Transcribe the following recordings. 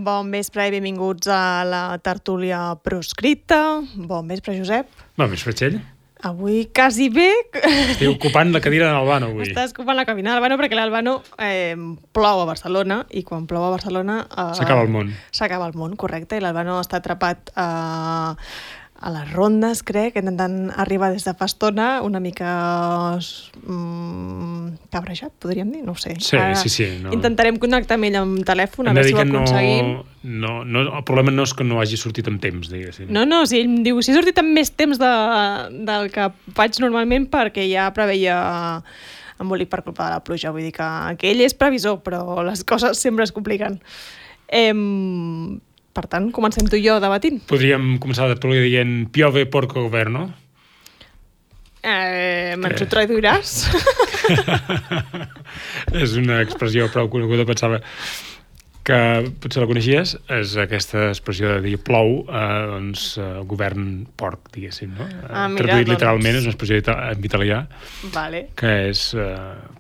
Bon vespre i benvinguts a la tertúlia proscrita. Bon vespre, Josep. Bon vespre, Txell. Avui quasi bé. Estic ocupant la cadira de l'Albano, avui. Estàs ocupant la cabina de l'Albano perquè l'Albano plou a Barcelona i quan plou a Barcelona... S'acaba el món. S'acaba el món, correcte. I l'Albano està atrapat a les rondes, crec, intentant arribar des de fa estona, una mica cabrejat, podríem dir, no ho sé. Sí, sí. No. Intentarem connectar amb ell amb telèfon, a veure si ho aconseguim. No, el problema no és que no hagi sortit amb temps, diguéssim. No, si ell em diu, si he sortit amb més temps del que faig normalment perquè ja preveia embolic per culpa de la pluja, vull dir que ell és previsor, però les coses sempre es compliquen. Per tant, comencem tu i jo debatint. Podríem començar la tertúlia dient piove porco governo? Me'ns ho traduiràs? És una expressió prou coneguda, pensava que potser la coneixies, és aquesta expressió de dir plou, govern porc, diguéssim, no? Traduït literalment, és una expressió en italià, vale. Que és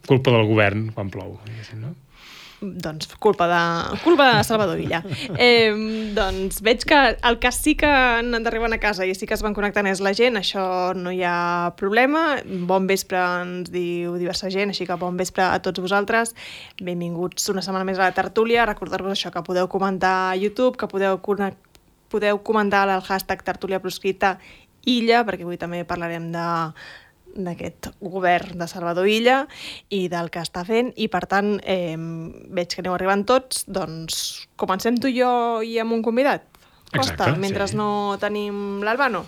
culpa del govern quan plou, diguéssim, no? Doncs culpa de Salvador Illa. Doncs veig que el que sí que han d'arribar a casa i sí que es van connectant és la gent, això no hi ha problema. Bon vespre ens diu diversa gent, així que bon vespre a tots vosaltres. Benvinguts una setmana més a la tertúlia. Recordar-vos això, que podeu comentar a YouTube, que podeu comentar al hashtag tertúlia proscrita Illa, perquè avui també parlarem d'aquest govern de Salvador Illa i del que està fent, i per tant veig que aneu arribant tots, doncs comencem tu i jo i amb un convidat. Costa, mentre sí. No tenim l'Albano.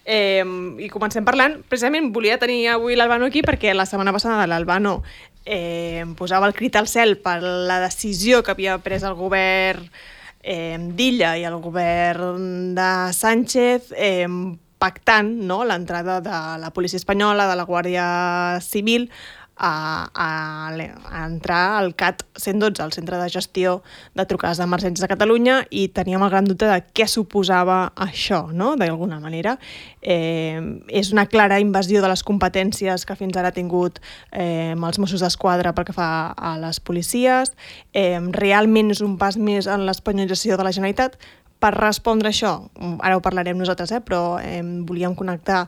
I comencem parlant, precisament volia tenir avui l'Albano aquí perquè la setmana passada l'Albano posava el crit al cel per la decisió que havia pres el govern d'Illa i el govern de Sánchez pactant, no, l'entrada de la policia espanyola, de la Guàrdia Civil, a entrar al CAT 112, al Centre de Gestió de Trucades d'Emergències de Catalunya, i teníem el gran dubte de què suposava això, no?, d'alguna manera. És una clara invasió de les competències que fins ara ha tingut els Mossos d'Esquadra pel que fa a les policies. Realment és un pas més en l'espanyolització de la Generalitat. Per respondre això, ara ho parlarem nosaltres, però volíem connectar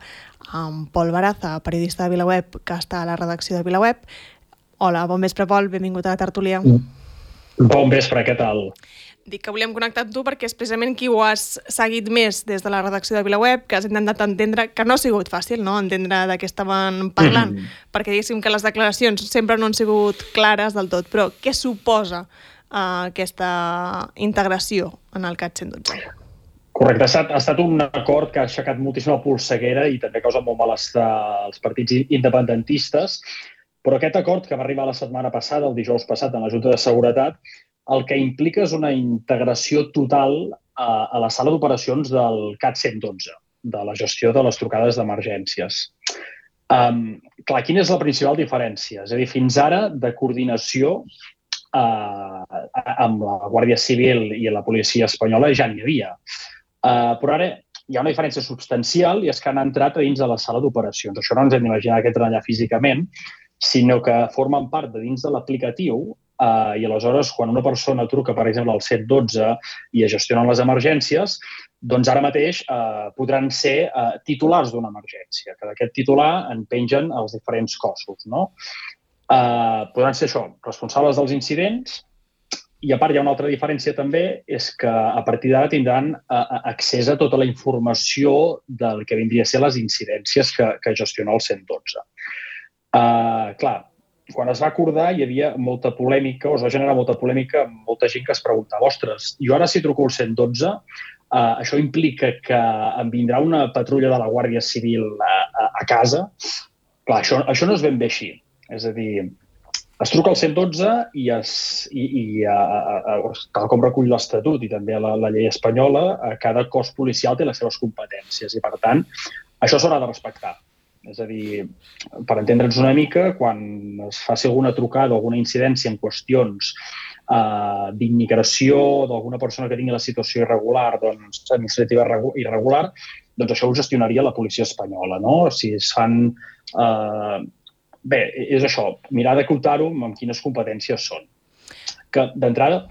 amb Pol Baraza, periodista de VilaWeb, que està a la redacció de VilaWeb. Hola, bon vespre, Pol, benvingut a la tertúlia. Bon vespre, què tal? Dic que volíem connectar amb tu perquè és precisament qui ho has seguit més des de la redacció de VilaWeb, que has intentat entendre, que no ha sigut fàcil, no?, entendre de què estaven parlant, perquè diguéssim que les declaracions sempre no han sigut clares del tot, però què suposa aquesta integració en el CAT 112? Correcte, ha estat un acord que ha aixecat moltíssima polseguera i també causa molt malestar als partits independentistes, però aquest acord que va arribar la setmana passada, el dijous passat, en la Junta de Seguretat, el que implica és una integració total a la sala d'operacions del CAT 112, de la gestió de les trucades d'emergències. Clar, quina és la principal diferència? És a dir, fins ara, de coordinació amb la Guàrdia Civil i la policia espanyola ja n'hi havia. Però ara hi ha una diferència substancial i és que han entrat a dins de la sala d'operacions. Això no ens hem d'imaginar que entren allà físicament, sinó que formen part de dins de l'aplicatiu i aleshores quan una persona truca, per exemple, al 112 i es gestionen les emergències, doncs ara mateix podran ser titulars d'una emergència, que d'aquest titular en pengen els diferents cossos, no? Podran ser això, responsables dels incidents, i a part hi ha una altra diferència també, és que a partir d'ara tindran accés a tota la informació del que vindria a ser les incidències que gestiona el 112. Clar, quan es va acordar hi havia molta polèmica, o es va generar molta polèmica amb molta gent que es preguntava, ostres, jo ara si truco al 112, això implica que em vindrà una patrulla de la Guàrdia Civil a casa? Clar, això no és ben bé així. És a dir, es truca al 112 i tal com recull l'Estatut i també la llei espanyola, cada cos policial té les seves competències i, per tant, això s'haurà de respectar. És a dir, per entendre'ns una mica, quan es faci alguna trucada o alguna incidència en qüestions d'immigració d'alguna persona que tingui la situació irregular, doncs, administrativa irregular, doncs això ho gestionaria la policia espanyola, no? Si es fan... Bé, és això, mirar d'acotar-ho amb quines competències són. Que, d'entrada,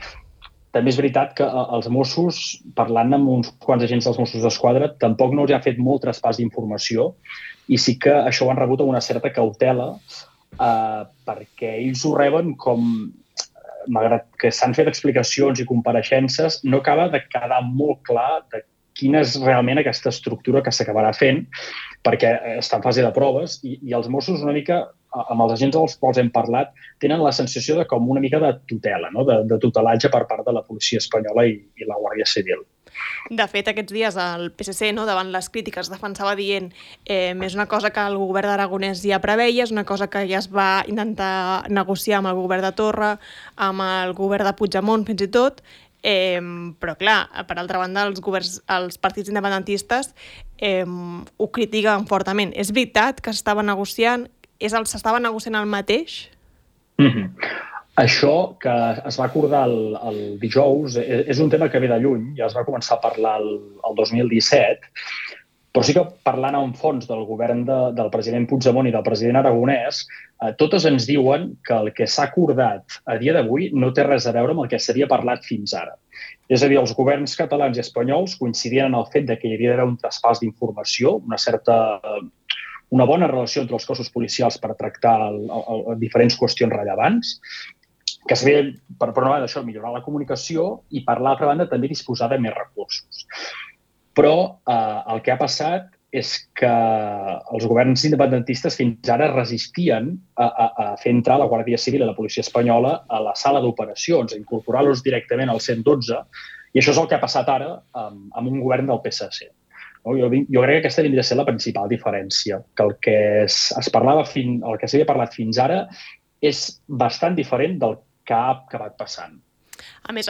també és veritat que els Mossos, parlant amb uns quants agents dels Mossos d'Esquadra, tampoc no els ha fet molt traspàs d'informació i sí que això ho han rebut amb una certa cautela perquè ells ho reben com, malgrat que s'han fet explicacions i compareixences, no acaba de quedar molt clar de quina és realment aquesta estructura que s'acabarà fent, perquè està en fase de proves i els Mossos una mica, amb els agents dels quals hem parlat, tenen la sensació de com una mica de tutela, no? de tutelatge per part de la policia espanyola i la Guàrdia Civil. De fet, aquests dies el PSC, no, davant les crítiques, defensava dient és una cosa que el govern d'Aragonès ja preveia, és una cosa que ja es va intentar negociar amb el govern de Torra, amb el govern de Puigdemont, fins i tot, però clar, per altra banda els partits independentistes ho critiquen fortament. És veritat que s'estava negociant, s'estava negociant el mateix? Això que es va acordar el dijous és un tema que ve de lluny, ja es va començar a parlar el 2017, però sí que parlant en fons del govern del president Puigdemont i del president Aragonès, totes ens diuen que el que s'ha acordat a dia d'avui no té res a veure amb el que s'havia parlat fins ara. És a dir, els governs catalans i espanyols coincidien en el fet que hi havia d'haver un traspàs d'informació, una bona relació entre els cossos policials per tractar diferents qüestions rellevants, que s'havia, per una banda, això, millorar la comunicació i, per l'altra banda, també disposar de més recursos. Però el que ha passat és que els governs independentistes fins ara resistien a fer entrar la Guàrdia Civil i la policia espanyola a la sala d'operacions, a incorporar-los directament al 112, i això és el que ha passat ara amb un govern del PSC. Jo crec que aquesta hauria de ser la principal diferència, que el que s'havia parlat fins ara és bastant diferent del que ha acabat passant. A més,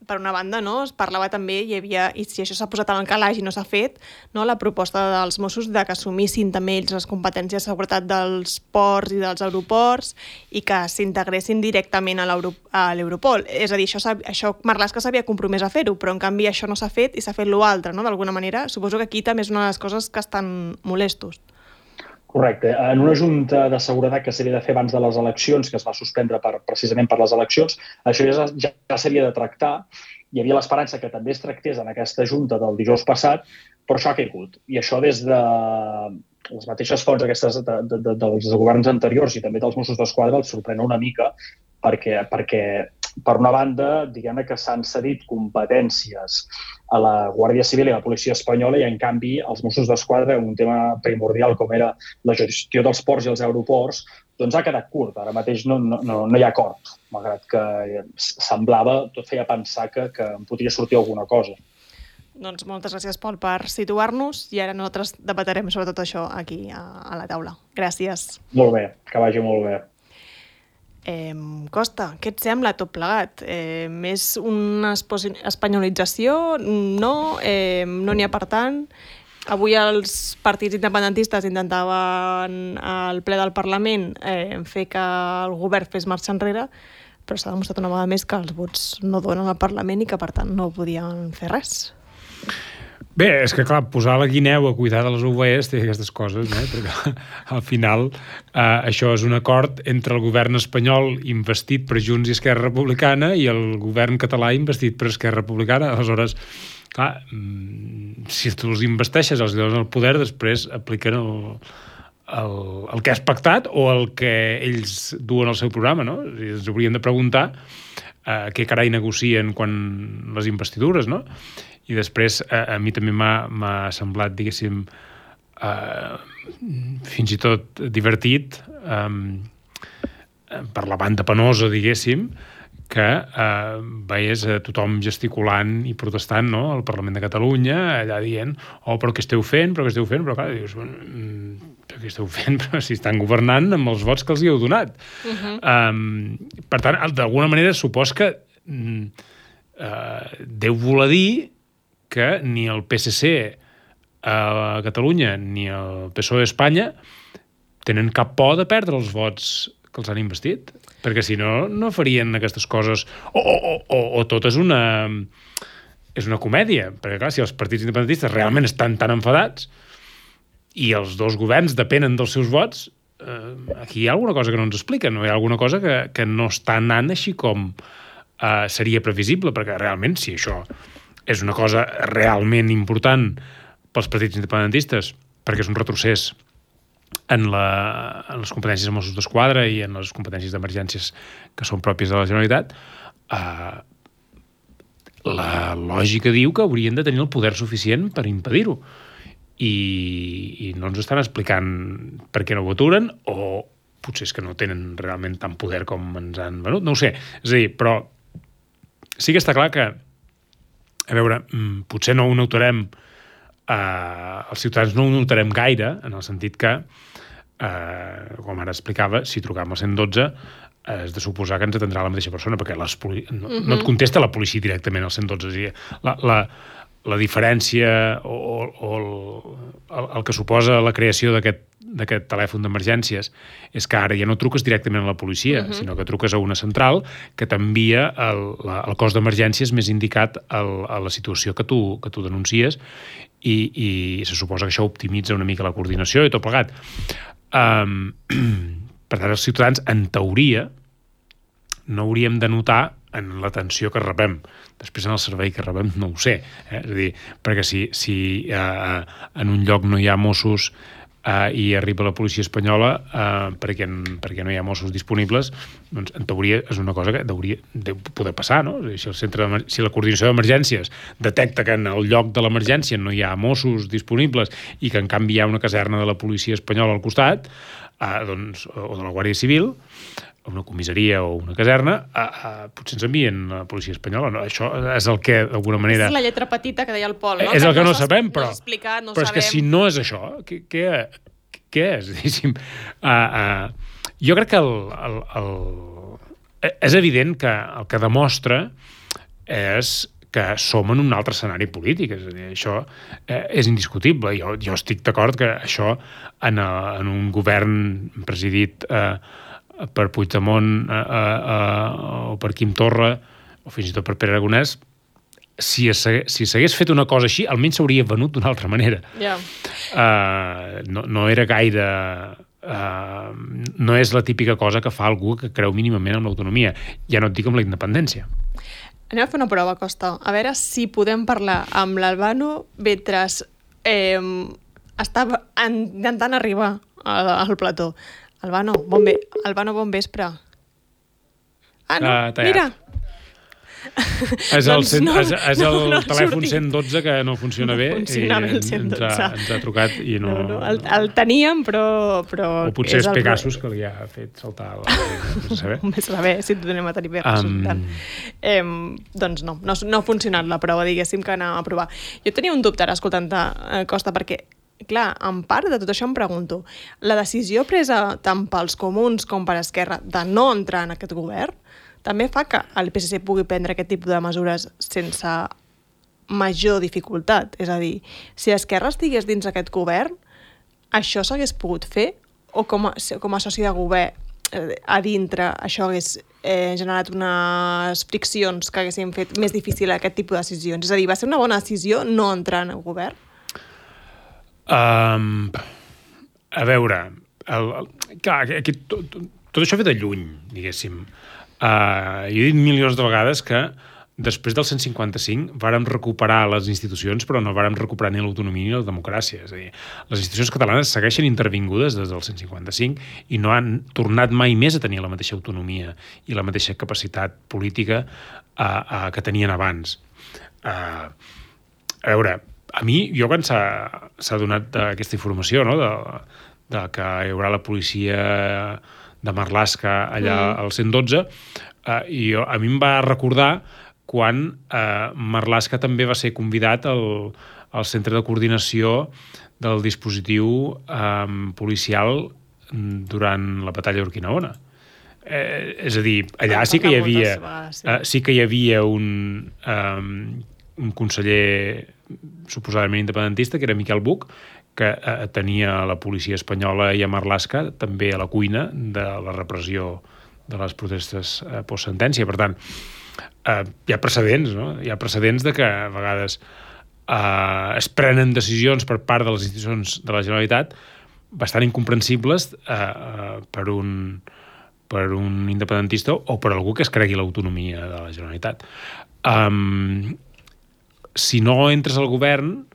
per una banda, no, es parlava també, i si això s'ha posat en el calaix i no s'ha fet, no, la proposta dels Mossos de que assumissin també ells les competències de seguretat dels ports i dels aeroports i que s'integressin directament a l'Europol. És a dir, això Marlaska s'havia compromès a fer-ho, però en canvi això no s'ha fet i s'ha fet l'altre, no? D'alguna manera. Suposo que aquí també és una de les coses que estan molestos. Correcte. En una junta de seguretat que s'havia de fer abans de les eleccions, que es va suspendre precisament per les eleccions, això ja s'havia de tractar. Hi havia l'esperança que també es tractés en aquesta junta del dijous passat, però això ha caigut. I això des de les mateixes fonts aquestes dels governs anteriors i també dels Mossos d'Esquadra els sorprèn una mica perquè per una banda, diguem que s'han cedit competències a la Guàrdia Civil i a la policia espanyola i, en canvi, els Mossos d'Esquadra, un tema primordial com era la gestió dels ports i els aeroports, doncs ha quedat curt. Ara mateix no hi ha acord, malgrat que semblava, tot feia pensar que en podria sortir alguna cosa. Doncs moltes gràcies, Pol, per situar-nos i ara nosaltres debatrem sobre tot això aquí a la taula. Gràcies. Molt bé, que vagi molt bé. Costa, què et sembla tot plegat? Més una espanyolització? No? No n'hi ha per tant? Avui els partits independentistes intentaven al ple del Parlament fer que el govern fes marxa enrere, però s'ha demostrat una vegada més que els vots no donen al Parlament i que, per tant, no podien fer res. Bé, és que clar, posar la guineu a cuidar de les ovelles té aquestes coses, no? Perquè al final això és un acord entre el govern espanyol investit per Junts i Esquerra Republicana i el govern català investit per Esquerra Republicana. Aleshores, clar, si tu els investeixes, els dones el poder, després apliquen el que has pactat o el que ells duen al seu programa, no? Ens hauríem de preguntar què carai negocien quan les investidures, no? I després a mi també m'ha semblat, diguéssim, fins i tot divertit per la banda penosa, diguéssim, que veies a tothom gesticulant i protestant, no?, al Parlament de Catalunya, allà dient, però què esteu fent? Però clar, dius, què esteu fent? Però si estan governant amb els vots que els hi heu donat. Per tant, d'alguna manera, supos que deu voler dir que ni el PSC a Catalunya ni el PSOE a Espanya tenen cap por de perdre els vots que els han investit, perquè si no, no farien aquestes coses. O tot és una comèdia, perquè clar, si els partits independentistes realment estan tan enfadats i els dos governs depenen dels seus vots, aquí hi ha alguna cosa que no ens expliquen, no? Hi ha alguna cosa que no està anant així com seria previsible, perquè realment, si això és una cosa realment important pels partits independentistes, perquè és un retrocés en les competències de Mossos d'Esquadra i en les competències d'emergències que són pròpies de la Generalitat, la lògica diu que haurien de tenir el poder suficient per impedir-ho. I no ens estan explicant per què no ho aturen, o potser és que no tenen realment tant poder com ens han venut, no ho sé. És a dir, però sí que està clar que, a veure, potser no ho notarem, els ciutadans no ho notarem gaire, en el sentit que, com ara explicava, si trucam al 112 és de suposar que ens atendrà la mateixa persona, perquè no et contesta la policia directament al 112. És a dir, la diferència o el que suposa la creació d'aquest telèfon d'emergències és que ara ja no truques directament a la policia, sinó que truques a una central que t'envia el cos d'emergències més indicat a la situació que tu denuncies, i se suposa que això optimitza una mica la coordinació i tot plegat. Per tant, els ciutadans, en teoria, no hauríem de notar en l'atenció que rebem. Després, en el servei que rebem, no ho sé. És a dir, perquè si en un lloc no hi ha Mossos i arriba la policia espanyola perquè no hi ha Mossos disponibles, doncs, en teoria, és una cosa que hauria de poder passar, no? Si la coordinació d'emergències detecta que en el lloc de l'emergència no hi ha Mossos disponibles i que, en canvi, hi ha una caserna de la policia espanyola al costat, o de la Guàrdia Civil, una comissaria o una caserna, potser ens envien la policia espanyola. No? Això és el que, d'alguna manera... És la lletra petita que deia el Pol, no? És el que no sabem, però... No però és que si no és això, què és? Jo crec que és evident que el que demostra és que som en un altre escenari polític. És a dir, això és indiscutible. Jo estic d'acord que això en un govern presidit per Puigdemont o per Quim Torra o fins i tot per Pere Aragonès, si s'hagués fet una cosa així, almenys s'hauria venut d'una altra manera. No era gaire... no és la típica cosa que fa algú que creu mínimament en l'autonomia. Ja no et dic amb la independència. Anem a fer una prova, Costa. A veure si podem parlar amb l'Albano mentre estava intentant arribar al plató. Albano, bon vespre. No, mira. És el telèfon 112 que no funciona bé. Ens ha trucat i no... El teníem, però... O potser és Pegasus que li ha fet saltar Més saber si et donem a tenir Pegasus. Doncs no ha funcionat la prova, diguéssim, que anàvem a provar. Jo tenia un dubte ara escoltant-te, Costa, perquè clar, en part de tot això em pregunto, la decisió presa tant pels comuns com per Esquerra de no entrar en aquest govern també fa que el PSC pugui prendre aquest tipus de mesures sense major dificultat. És a dir, si Esquerra estigués dins aquest govern, això s'hagués pogut fer? O com a soci de govern a dintre això hagués generat unes friccions que haguessin fet més difícil aquest tipus de decisions? És a dir, va ser una bona decisió no entrar en el govern? A veure, clar, tot això ve de lluny, diguéssim. Jo he dit milions de vegades que després del 155 vàrem recuperar les institucions, però no vàrem recuperar ni l'autonomia ni la democràcia. És a dir, les institucions catalanes segueixen intervingudes des del 155 i no han tornat mai més a tenir la mateixa autonomia i la mateixa capacitat política que tenien abans. A veure, a mi, quan s'ha donat aquesta informació, no?, de que hi haurà la policia de Marlaska allà al 112, a mi em va recordar quan Marlaska també va ser convidat al centre de coordinació del dispositiu policial durant la batalla d'Urquinaona. És a dir, allà sí que hi havia un conseller suposadament independentista, que era Miquel Buch, que tenia la policia espanyola i a Marlaska també a la cuina de la repressió de les protestes post-sentència. Per tant, hi ha precedents, no? Hi ha precedents de que a vegades es prenen decisions per part de les institucions de la Generalitat bastant incomprensibles per per un independentista o per algú que es cregui l'autonomia de la Generalitat. Si no entres al govern,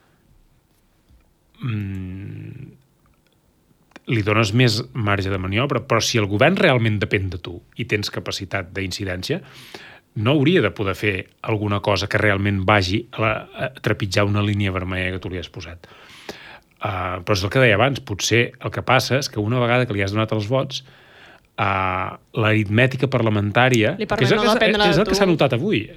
li dones més marge de maniobra, però si el govern realment depèn de tu i tens capacitat d'incidència, no hauria de poder fer alguna cosa que realment vagi a trepitjar una línia vermella que tu li has posat. Però és el que deia abans, potser el que passa és que una vegada que li has donat els vots, l'aritmètica parlamentària, que és el que s'ha notat avui.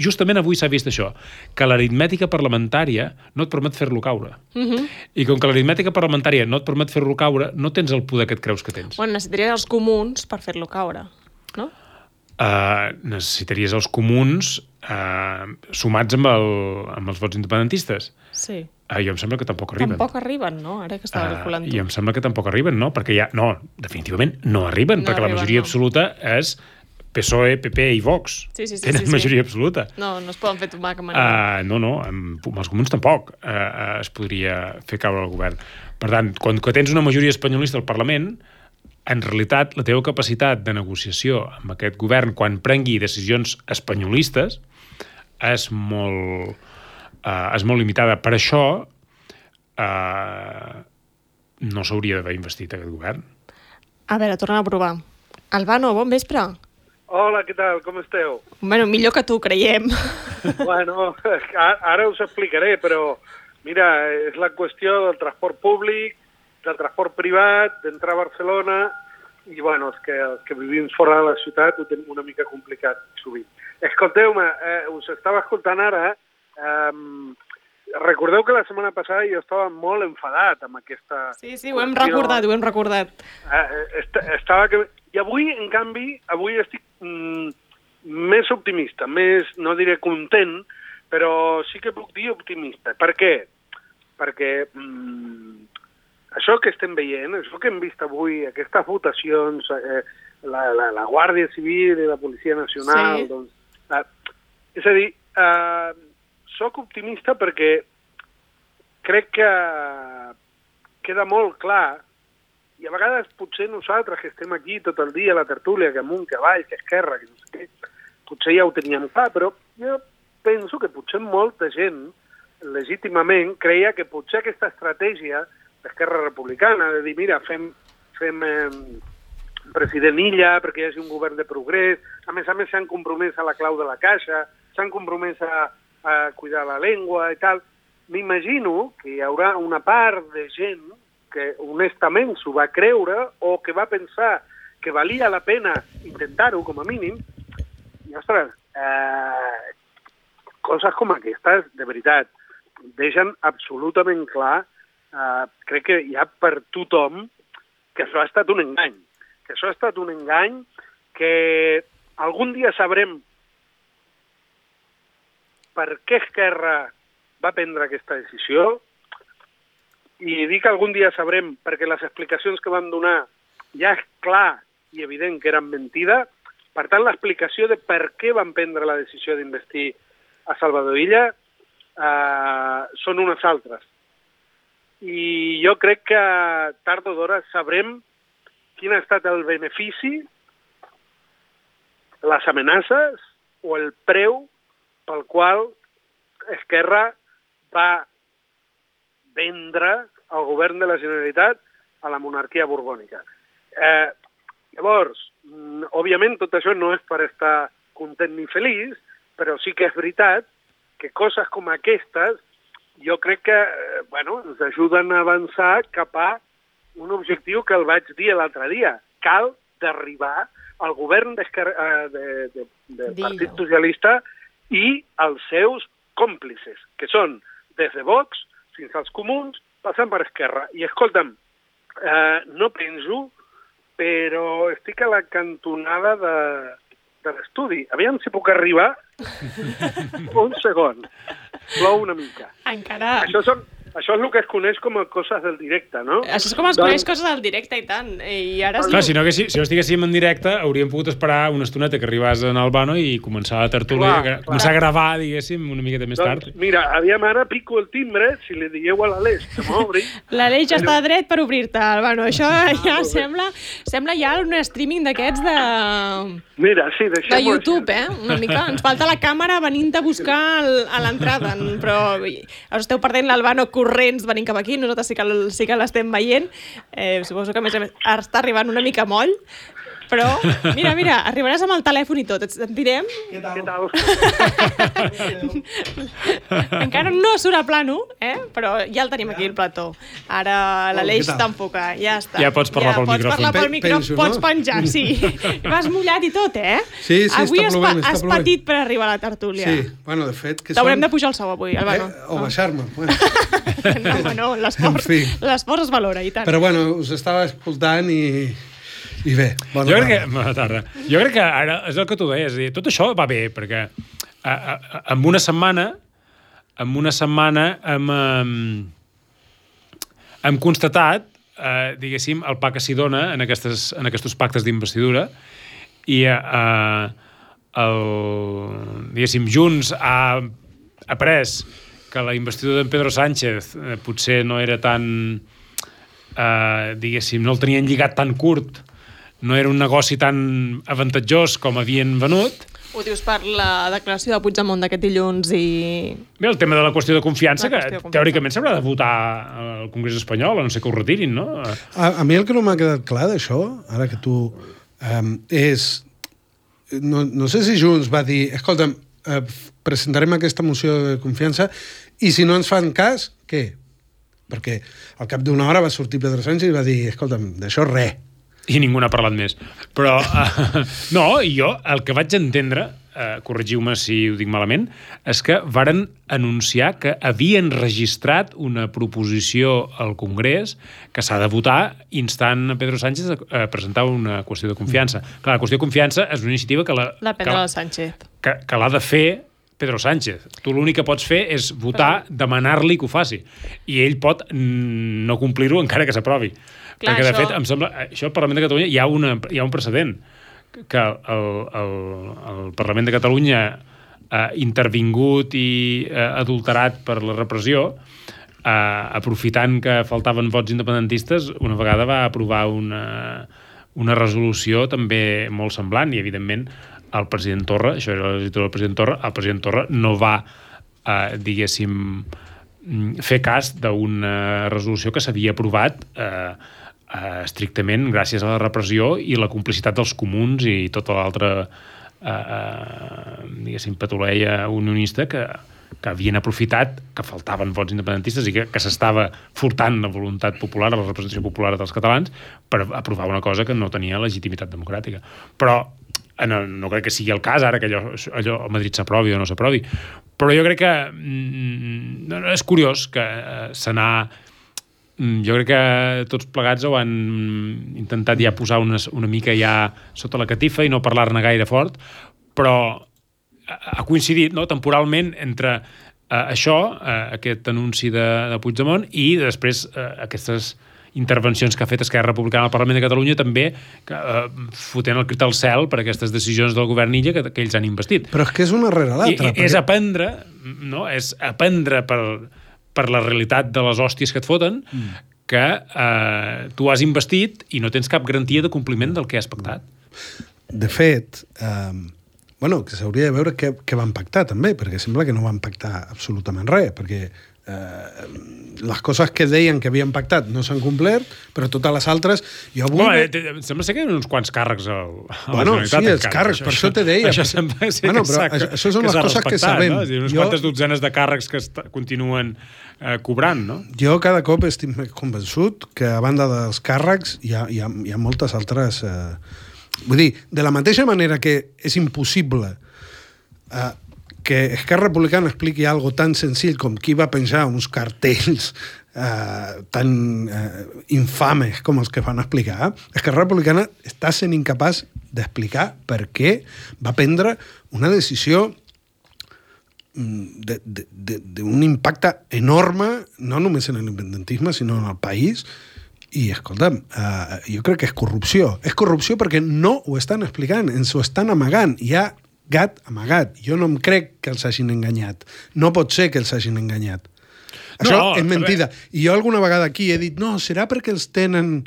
Justament avui s'ha vist això, que l'aritmètica parlamentària no et permet fer-lo caure. I com que l'aritmètica parlamentària no et permet fer-lo caure, no tens el poder que et creus que tens. Bueno, necessitaries els comuns per fer-lo caure, no? Necessitaries els comuns sumats amb els vots independentistes. Sí. Jo em sembla que tampoc arriben. Tampoc arriben, no? Ara que estava calculant tu. I em sembla que tampoc arriben, no? Perquè definitivament no arriben, perquè la majoria absoluta és PSOE, PP i Vox. Tenen majoria absoluta. No es poden fer tomar cap manera. No, amb els comuns tampoc es podria fer caure el govern. Per tant, quan tens una majoria espanyolista al Parlament, en realitat la teva capacitat de negociació amb aquest govern quan prengui decisions espanyolistes és molt limitada. Per això no s'hauria d'haver investit aquest govern. A veure, tornem a provar. Albano, bon vespre. Hola, què tal? Com esteu? Bueno, millor que tu, creiem. Bueno, ara us explicaré, però mira, és la qüestió del transport públic, del transport privat, d'entrar a Barcelona, i bueno, els que vivim fora de la ciutat ho tenim una mica complicat sovint. Escolteu-me, us estava escoltant ara. Recordeu que la setmana passada jo estava molt enfadat amb aquesta... Sí, ho hem recordat. I avui, en canvi, estic més optimista, més, no diré content, però sí que puc dir optimista. Per què? Perquè això que estem veient, això que hem vist avui, aquestes votacions, la Guàrdia Civil i la Policia Nacional, sí. Doncs, és a dir, soc optimista perquè crec que queda molt clar, i a vegades potser nosaltres que estem aquí tot el dia a la tertúlia, que amunt, que avall, que esquerra, que no sé què, potser ja ho teníem clar, però jo penso que potser molta gent legítimament creia que potser aquesta estratègia d'Esquerra Republicana, de dir, mira, fem president Illa perquè hi hagi un govern de progrés, a més s'han compromès a la clau de la caixa, s'han compromès a cuidar la llengua i tal. M'imagino que hi haurà una part de gent que honestament s'ho va creure o que va pensar que valia la pena intentar-ho, com a mínim. I, ostres, coses com aquestes, de veritat, deixen absolutament clar, crec que hi ha per tothom, que això ha estat un engany. Que això ha estat un engany que algun dia sabrem per què Esquerra va prendre aquesta decisió, i dic algun dia sabrem perquè les explicacions que van donar ja és clar i evident que eren mentida. Per tant, l'explicació de per què van prendre la decisió d'investir a Salvador Illa són unes altres. I jo crec que tard o d'hora sabrem quin ha estat el benefici, les amenaces o el preu pel qual Esquerra va vendre el govern de la Generalitat a la monarquia borbònica. Llavors, òbviament tot això no és per estar content ni feliç, però sí que és veritat que coses com aquestes jo crec que ens ajuden a avançar cap a un objectiu que el vaig dir l'altre dia. Cal derribar el govern del Partit Socialista i els seus còmplices, que són des de Vox fins als comuns, passant per Esquerra. I escolta'm, no penso, però estic a la cantonada de l'estudi. Aviam si puc arribar un segon. Plou una mica. Encara. Això és el que es coneix com a coses del directe, no? Això és com es coneix coses del directe i tant. I ara Clar, si no estiguéssim en directe, hauríem pogut esperar una estoneta que arribés en Albano i començar la tertúlia, començar a gravar, diguéssim, una miqueta més tard. Mira, aviam, ara pico el timbre, si li digueu a l'Aleix que m'obri. L'Aleix ja està dret per obrir-te, Albano. Això ja sembla ja un streaming d'aquests de... Mira, sí, de YouTube, una mica. Ens falta la càmera venint a buscar a l'entrada, però us esteu perdent l'Albano corrents venint cap aquí, nosaltres sí que l'estem veient. Suposo que a més està arribant una mica moll, però mira, arribaràs amb el telèfon i tot, et sentirem. Què tal? Encara no surt a plano, però ja el tenim aquí, el plató. Ara l'Aleix t'enfoca, ja està. Ja pots parlar pel micròfon. Pots parlar pel micròfon, pots penjar, sí. Vas mullat i tot, Sí, avui està plovent. Has patit per arribar a la tertúlia. Sí, bueno, de fet... T'haurem de pujar el sou avui, Albano. O baixar-me, bueno. No, l'esforç es valora, i tant. Però bueno, us estava escoltant i bé, bona tarda. Jo crec que ara és el que tu deies, tot això va bé, perquè en una setmana hem constatat, diguéssim, el pa que s'hi dona en aquests pactes d'investidura i diguéssim, Junts ha après que la investidura d'en Pedro Sánchez potser no era tan, diguéssim, no el tenien lligat tan curt, no era un negoci tan avantatjós com havien venut. Ho dius per la declaració de Puigdemont d'aquest dilluns i... Bé, el tema de la qüestió de confiança, que teòricament s'haurà de votar al Congrés espanyol, a no ser que ho retirin, no? A mi el que no m'ha quedat clar d'això, ara que tu... és... No sé si Junts va dir, escolta'm, presentarem aquesta moció de confiança i si no ens fan cas, què? Perquè al cap d'una hora va sortir Pedro Sánchez i va dir, escolta'm, d'això res. I ningú n'ha parlat més. Però, no, jo el que vaig entendre, corregiu-me si ho dic malament, és que varen anunciar que havien registrat una proposició al Congrés que s'ha de votar instant a Pedro Sánchez a presentar una qüestió de confiança. Clar, la qüestió de confiança és una iniciativa que l'ha de fer Pedro Sánchez. Tu l'únic que pots fer és votar, demanar-li que ho faci. I ell pot no complir-ho encara que s'aprovi. Clar, perquè, de fet, em sembla... Això al Parlament de Catalunya hi ha un precedent que el Parlament de Catalunya intervingut i adulterat per la repressió, aprofitant que faltaven vots independentistes, una vegada va aprovar una resolució també molt semblant i, evidentment, el president Torra, això era la legislatura del president Torra, el president Torra no va, diguéssim, fer cas d'una resolució que s'havia aprovat estrictament gràcies a la repressió i la complicitat dels comuns i tota l'altra diguéssim, patuleia unionista que havien aprofitat que faltaven vots independentistes i que s'estava furtant la voluntat popular, la representació popular dels catalans per aprovar una cosa que no tenia legitimitat democràtica. Però no crec que sigui el cas ara que allò a Madrid s'aprovi o no s'aprovi, però jo crec que és curiós que jo crec que tots plegats ho han intentat ja posar una mica ja sota la catifa i no parlar-ne gaire fort, però ha coincidit, no, temporalment entre això, aquest anunci de Puigdemont i després aquestes intervencions que ha fet Esquerra Republicana al Parlament de Catalunya també fotent el crit al cel per aquestes decisions del govern Illa que ells han investit. Però és que és una rere l'altra. És aprendre, no? És aprendre per la realitat de les hòsties que et foten que tu has investit i no tens cap garantia de compliment del que has pactat. De fet, que s'hauria de veure què van pactar també, perquè sembla que no van pactar absolutament res, perquè les coses que deien que havien pactat no s'han complert, però totes les altres... Sembla ser que hi ha uns quants càrrecs a la Generalitat. Sí, els càrrecs, per això te deia. Això sembla ser això són les coses que sabem. Unes quantes dotzenes de càrrecs que continuen cobrant, no? Jo cada cop estic més convençut que a banda dels càrrecs hi ha moltes altres... Vull dir, de la mateixa manera que és impossible que Esquerra Republicana expliqui algo tan senzill com qui va penjar uns cartells tan infames com els que van explicar. Esquerra Republicana està sent incapaç d'explicar per què va prendre una decisió d'un impacte enorme, no només en l'independentisme, sinó en el país. I, escolta'm, jo crec que és corrupció. És corrupció perquè no ho estan explicant, ens ho estan amagant. Hi ha gat amagat. Jo no em crec que els hagin enganyat. No pot ser que els hagin enganyat. Això és mentida. I jo alguna vegada aquí he dit, no, serà perquè els tenen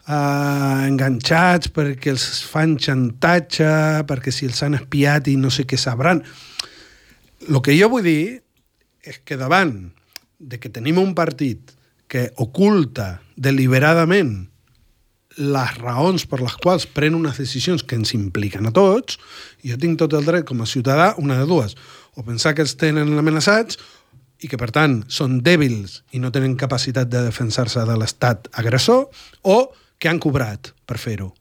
enganxats, perquè els fan xantatge, perquè si els han espiat i no sé què sabran. El que jo vull dir és que davant de que tenim un partit que oculta deliberadament les raons per les quals pren unes decisions que ens impliquen a tots, jo tinc tot el dret com a ciutadà, una de dues, o pensar que els tenen amenaçats i que, per tant, són dèbils i no tenen capacitat de defensar-se de l'estat agressor, o que han cobrat per fer-ho.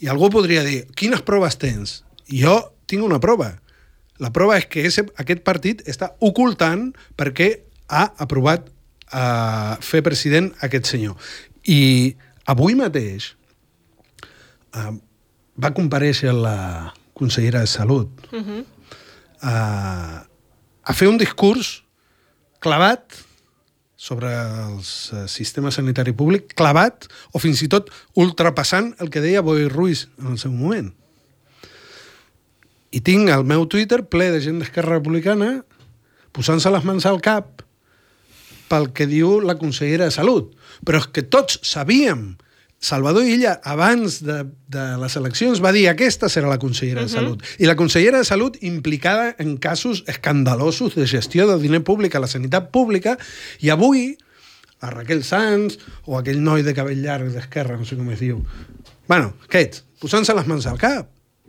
I algú podria dir, quines proves tens? Jo tinc una prova. La prova és que aquest partit està ocultant perquè ha aprovat fer president aquest senyor. I avui mateix va comparèixer la consellera de Salut a fer un discurs clavat sobre el sistema sanitari públic, clavat o fins i tot ultrapassant el que deia Boi Ruiz en el seu moment. I tinc el meu Twitter ple de gent d'Esquerra Republicana posant-se les mans al cap pel que diu la consellera de Salut. Però és que tots sabíem. Salvador Illa, abans de les eleccions, va dir aquesta serà la consellera de Salut. I la consellera de Salut implicada en casos escandalosos de gestió del diner públic a la sanitat pública, i avui la Raquel Sanz o aquell noi de cabell llarg d'Esquerra, no sé com es diu, bueno, aquests, posant-se les mans al cap.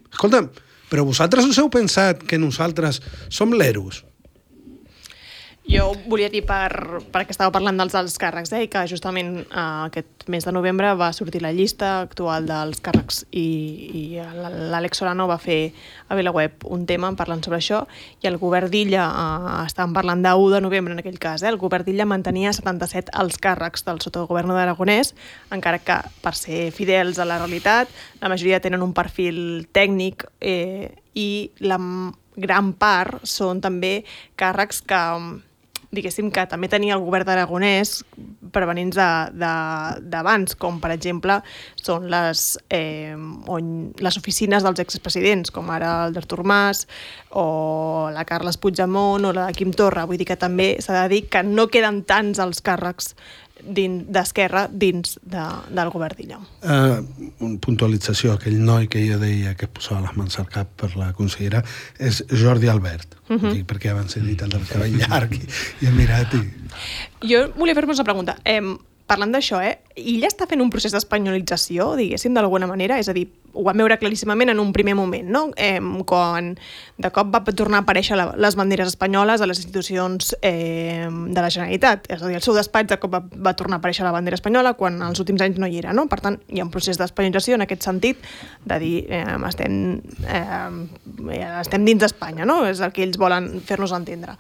Escolta'm, però vosaltres us heu pensat que nosaltres som l'Eros? Jo volia dir, perquè estava parlant dels alts càrrecs, i que justament aquest mes de novembre va sortir la llista actual dels càrrecs i l'Àlex Solano va fer a VilaWeb un tema parlant sobre això, i el govern d'Illa, estàvem parlant d'1 de novembre en aquell cas, el govern d'Illa mantenia 77 alts càrrecs del sotogovern d'Aragonès, encara que per ser fidels a la realitat, la majoria tenen un perfil tècnic i la gran part són també càrrecs que diguéssim que també tenia el govern d'Aragonès prevenents d'abans, com per exemple són les oficines dels expresidents, com ara el d'Artur Mas o la Carles Puigdemont o la de Quim Torra. Vull dir que també s'ha de dir que no queden tants els càrrecs d'Esquerra dins del govern d'Illa. Una puntualització, aquell noi que jo deia que es posava les mans al cap per la consellera és Jordi Albert, perquè abans he dit el del cabell llarg i he mirat i... Jo volia fer-vos una pregunta. Parlant d'això, Illa està fent un procés d'espanyolització, diguéssim, d'alguna manera? És a dir, ho vam veure claríssimament en un primer moment, no? Quan de cop va tornar a aparèixer les banderes espanyoles a les institucions de la Generalitat. És a dir, el seu despatx de cop va tornar a aparèixer la bandera espanyola quan als últims anys no hi era, no? Per tant, hi ha un procés d'espanyolització en aquest sentit de dir estem dins d'Espanya, no? És el que ells volen fer-nos entendre.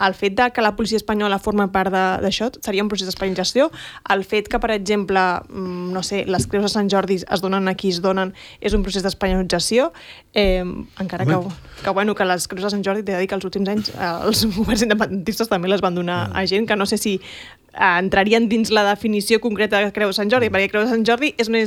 El fet que la policia espanyola forma part d'això seria un procés d'espanyolització. El fet que, per exemple, no sé, les creus de Sant Jordi es donen a qui es donen és un procés d'espanyolització, encara que les creus de Sant Jordi t'he de dir que els últims anys els governs independentistes també les van donar a gent que no sé si entrarien dins la definició concreta de Creu de Sant Jordi, perquè Creu de Sant Jordi és una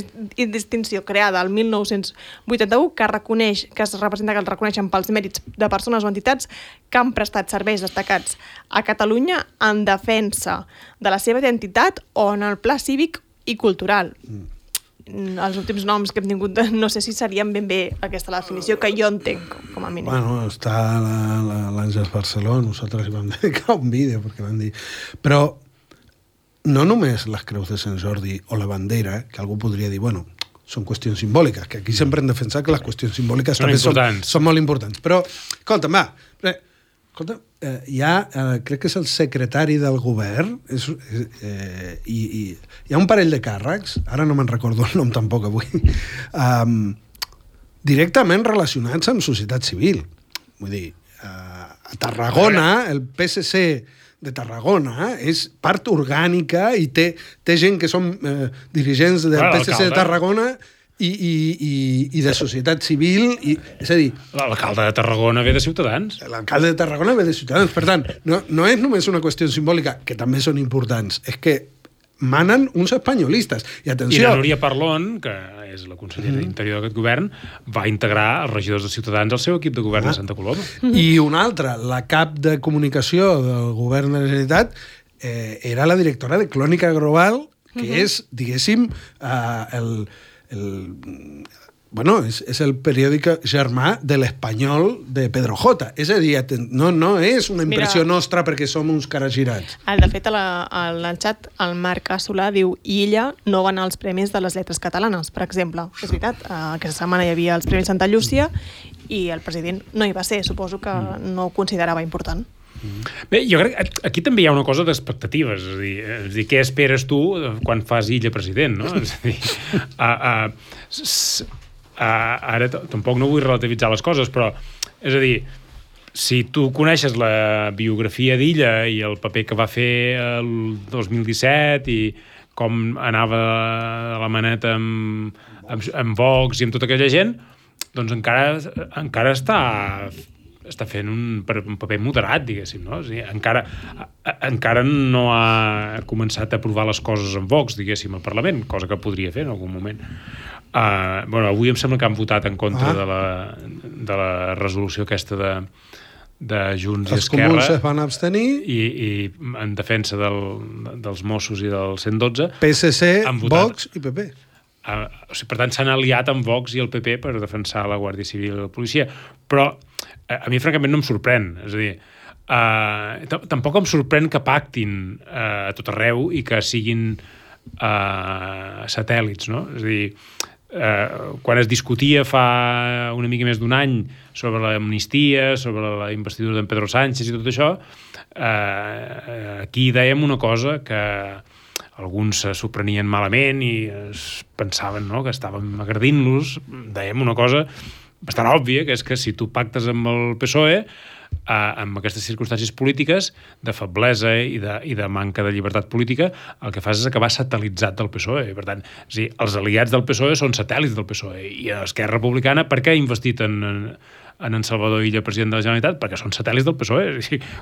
distinció creada el 1981 que es reconeixen pels mèrits de persones o entitats que han prestat serveis destacats a Catalunya en defensa de la seva identitat o en el pla cívic i cultural. Els últims noms que hem tingut no sé si serien ben bé aquesta la definició que jo entenc, com a mínim. Bueno, està l'Àngels Barceló, nosaltres hi vam dedicar un vídeo perquè van dir... Però no només les creus de Sant Jordi o la bandera, que algú podria dir, bueno, són qüestions simbòliques, que aquí sempre hem defensat que les qüestions simbòliques també són molt importants. Però, escolta'm, crec que és el secretari del govern, i hi ha un parell de càrrecs, ara no me'n recordo el nom tampoc avui, directament relacionats amb societat civil. Vull dir, a Tarragona, el PSC de Tarragona és part orgànica i té gent que són dirigents del PSC de Tarragona i de societat civil. És a dir... L'alcalde de Tarragona ve de Ciutadans. L'alcalde de Tarragona ve de Ciutadans. Per tant, no és només una qüestió simbòlica, que també són importants, és que manen uns espanyolistes. I atenció... I la Núria Parlon, que és la consellera d'Interior d'aquest govern, va integrar els regidors de Ciutadans al seu equip de govern de Santa Coloma. I una altra, la cap de comunicació del govern de la Generalitat, era la directora de Clònica Global, que és, diguéssim, és el periòdic germà de l'Espanyol de Pedro J. És a dir, no és una impressió nostra perquè som uns caragirats. De fet, al xat, el Marc Assolà diu i ella no va anar als Premis de les Lletres Catalanes, per exemple. És veritat, aquesta setmana hi havia els Premis Santa Llúcia i el president no hi va ser. Suposo que no ho considerava important. Bé, jo crec que aquí també hi ha una cosa d'expectatives, és a dir, què esperes tu quan fas Illa president, no? És a dir, ara tampoc no vull relativitzar les coses, però, és a dir, si tu coneixes la biografia d'Illa i el paper que va fer el 2017 i com anava a la maneta amb Vox i amb tota aquella gent, doncs encara està fent un paper moderat, diguéssim, no? O sigui, encara no ha començat a provar les coses amb Vox, diguéssim, al Parlament, cosa que podria fer en algun moment. Avui em sembla que han votat en contra de la resolució aquesta de Junts i Esquerra. Els comuns es van abstenir. I en defensa dels Mossos i del 112. PSC, Vox i PP. Per tant, s'han aliat amb Vox i el PP per defensar la Guàrdia Civil i la policia. Però a mi, francament, no em sorprèn. És a dir, tampoc em sorprèn que pactin a tot arreu i que siguin satèl·lits, no? És a dir, quan es discutia fa una mica més d'un any sobre l'amnistia, sobre la investidura d'en Pedro Sánchez i tot això, aquí dèiem una cosa que alguns s'ho prenien malament i es pensaven, no?, que estàvem agredint-los. Dèiem una cosa bastant òbvia, que és que si tu pactes amb el PSOE, amb aquestes circumstàncies polítiques de feblesa i de manca de llibertat política, el que fas és acabar satèl·litzat del PSOE. Per tant, els aliats del PSOE són satèl·lits del PSOE. I Esquerra Republicana, per què ha investit en Salvador Illa, president de la Generalitat? Perquè són satèl·lits del PSOE.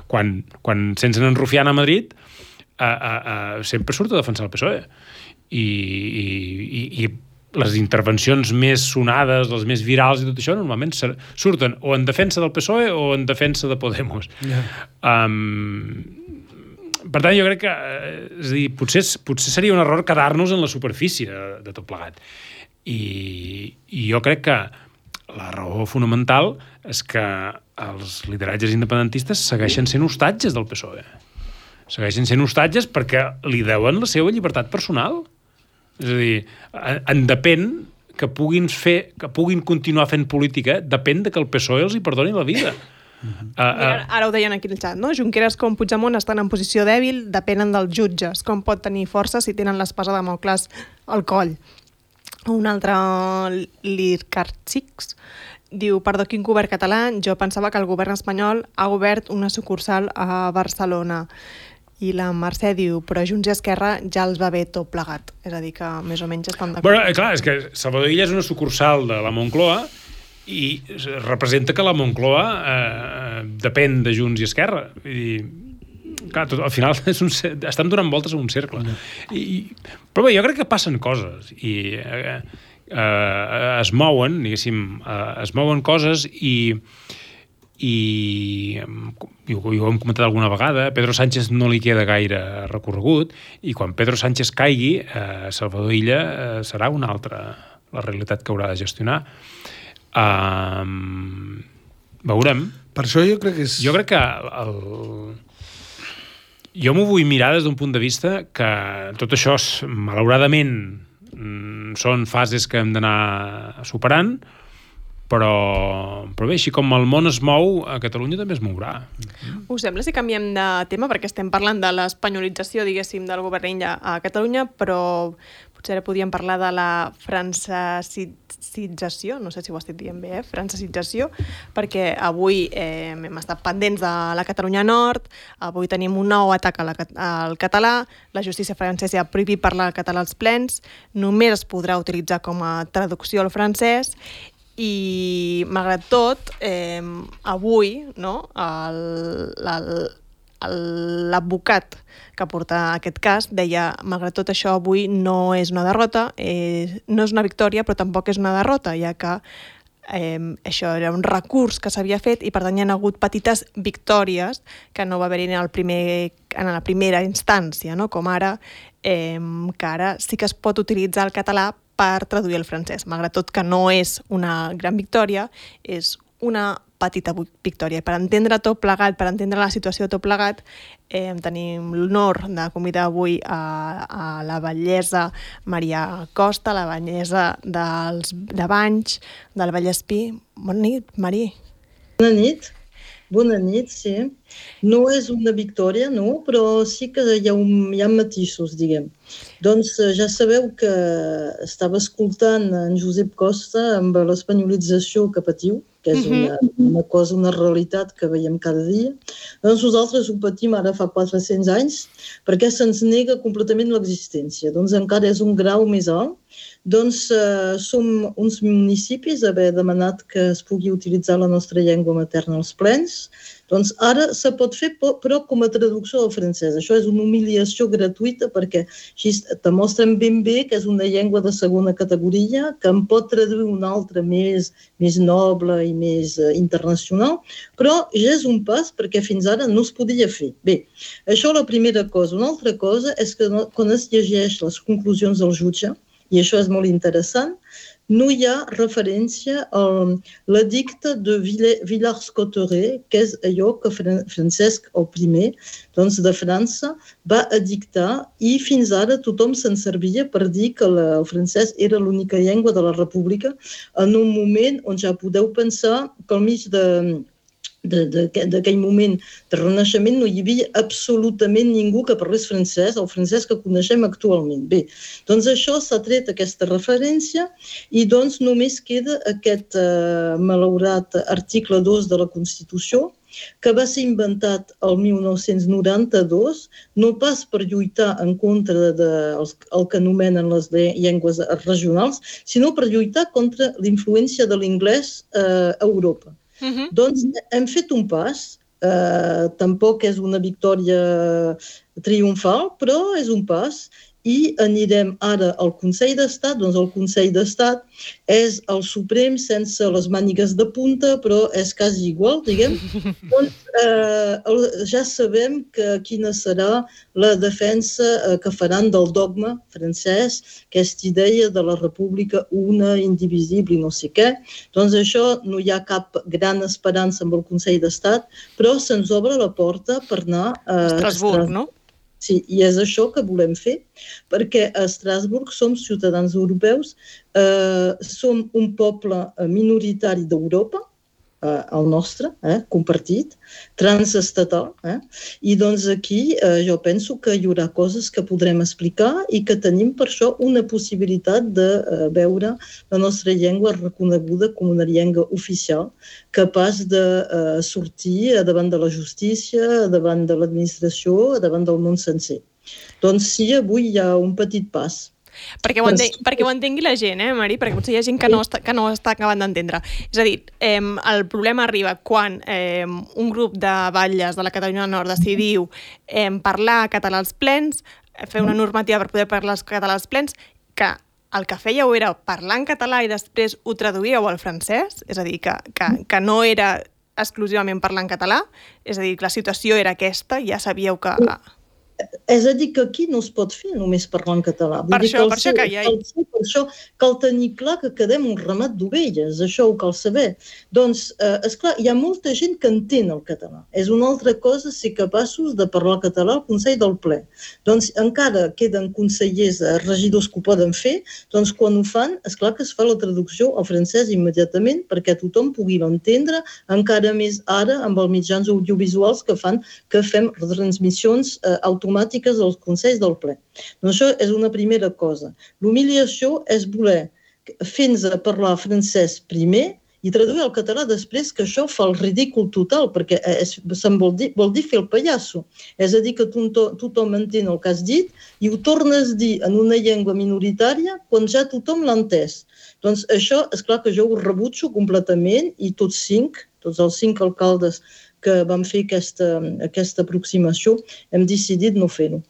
Quan sense en Rufián a Madrid, sempre surt a defensar el PSOE. I les intervencions més sonades, les més virals i tot això, normalment surten o en defensa del PSOE o en defensa de Podemos. Per tant, jo crec que és a dir, potser seria un error quedar-nos en la superfície de tot plegat. I jo crec que la raó fonamental és que els lideratges independentistes segueixen sent hostatges del PSOE. Segueixen sent hostatges perquè li deuen la seva llibertat personal. És a dir, en depèn que puguin continuar fent política, depèn de que el PSOE els hi perdoni la vida. Ara ho deien aquí al xat, no? Junqueras com Puigdemont estan en posició dèbil, depenen dels jutges. Com pot tenir força si tenen l'espasa de Damocles al coll? Un altre, l'Ircarxix, diu, perdó, quin govern català? Jo pensava que el govern espanyol ha obert una sucursal a Barcelona. I la Mercè diu, però Junts i Esquerra ja els va bé tot plegat. És a dir, que més o menys estan d'acord. Bueno, clar, és que Salvador Illa és una sucursal de la Moncloa i representa que la Moncloa depèn de Junts i Esquerra. I, clar, al final estan donant voltes a un cercle. Però bé, jo crec que passen coses i es mouen, diguéssim, es mouen coses i ho hem comentat alguna vegada, Pedro Sánchez no li queda gaire recorregut i quan Pedro Sánchez caigui, Salvador Illa serà una altra la realitat que haurà de gestionar. Veurem. Per això jo crec que és... Jo crec que jo m'ho vull mirar des d'un punt de vista que tot això, malauradament, són fases que hem d'anar superant, però bé, així com el món es mou, a Catalunya també es mourà. Us sembla si canviem de tema? Perquè estem parlant de l'espanyolització, diguéssim, del govern Illa a Catalunya, però potser ara podíem parlar de la francesització, no sé si ho estic dient bé, francesització, perquè avui hem estat pendents de la Catalunya Nord, avui tenim un nou atac al català, la justícia francesa ha prohibit parlar el català als plens, només es podrà utilitzar com a traducció al francès, i malgrat tot, avui, no, l'advocat que porta aquest cas deia, malgrat tot això, avui no és una derrota, no és una victòria, però tampoc és una derrota, ja que això era un recurs que s'havia fet i per tant hi ha hagut petites victòries que no va haver-hi en la primera instància, no? Com ara, que ara sí que es pot utilitzar el català per traduir el francès, malgrat tot que no és una gran victòria, és una petita victòria. Per entendre tot plegat, per entendre la situació de tot plegat, tenim l'honor de convidar avui a la batllessa Maria Costa, la batllessa de Banys, del Vallespir. Bona nit, Maria. Bona nit, sí. No és una victòria, no, però sí que hi ha matisos, diguem. Doncs ja sabeu que estava escoltant en Josep Costa amb l'espanyolització que patiu, que és una cosa, una realitat que veiem cada dia. Doncs nosaltres ho patim ara fa 400 anys perquè se'ns nega completament l'existència. Doncs encara és un grau més alt. Doncs som uns municipis a haver demanat que es pugui utilitzar la nostra llengua materna als plens. Doncs ara se pot fer, però com a traducció al francès. Això és una humiliació gratuïta perquè així te mostren ben bé que és una llengua de segona categoria, que en pot traduir una altra més noble i més internacional, però ja és un pas perquè fins ara no es podia fer. Bé, això la primera cosa. Una altra cosa és que quan es llegeix les conclusions del jutge, i això és molt interessant, no hi ha referència a l'edicte de Villars-Cotterêts, que és allò que Francesc I, doncs de França, va edictar i fins ara tothom se'n servia per dir que el francès era l'única llengua de la República en un moment on ja podeu pensar que al mig d'aquell moment de renaixement no hi havia absolutament ningú que parlés francès, el francès que coneixem actualment. Bé, doncs això s'ha tret aquesta referència i doncs només queda aquest malaurat article 2 de la Constitució que va ser inventat el 1992, no pas per lluitar en contra del que anomenen les llengües regionals, sinó per lluitar contra la influència de l'anglès a Europa. Doncs hem fet un pas, tampoc és una victòria triomfal, però és un pas i anirem ara al Consell d'Estat. Doncs el Consell d'Estat és el Suprem sense les mànigues de punta, però és quasi igual, diguem. Doncs ja sabem quina serà la defensa que faran del dogma francès, aquesta idea de la república una, indivisible i no sé què. Doncs això no hi ha cap gran esperança amb el Consell d'Estat, però se'ns obre la porta per anar a Estrasburg, no? Sí, i és això que volem fer, perquè a Estrasburg som ciutadans europeus, som un poble minoritari d'Europa, el nostre, compartit, transestatal, i doncs aquí jo penso que hi haurà coses que podrem explicar i que tenim per això una possibilitat de veure la nostra llengua reconeguda com una llengua oficial, capaç de sortir davant de la justícia, davant de l'administració, davant del món sencer. Doncs sí, avui hi ha un petit pas. Perquè ho entengui la gent, Mari? Perquè potser hi ha gent que no està acabant d'entendre. És a dir, el problema arriba quan un grup de batlles de la Catalunya Nord decidiu parlar català als plens, fer una normativa per poder parlar català als plens, que el que fèieu era parlar en català i després ho traduïeu al francès, és a dir, que no era exclusivament parlar en català, és a dir, que la situació era aquesta, ja sabíeu que... És a dir, que aquí no es pot fer només parlar en català. Per això cal tenir clar que quedem un ramat d'ovelles, això ho cal saber. Doncs, esclar, hi ha molta gent que entén el català. És una altra cosa ser capaços de parlar català al Consell del Ple. Doncs encara queden consellers, regidors que ho poden fer, doncs quan ho fan, esclar que es fa la traducció al francès immediatament perquè tothom pugui l'entendre, encara més ara amb els mitjans audiovisuals que fan que fem retransmissions automàtiques automàtiques dels consells del ple. Doncs això és una primera cosa. L'humiliació és voler fer-nos parlar francès primer i traduir al català després, que això fa el ridícul total, perquè se'n vol dir fer el pallasso. És a dir, que tothom entén el que has dit i ho tornes a dir en una llengua minoritària quan ja tothom l'ha entès. Doncs això, és clar que jo ho rebutjo completament i tots els 5 alcaldes que vam fer aquesta aproximació, hem decidit no fer-ho.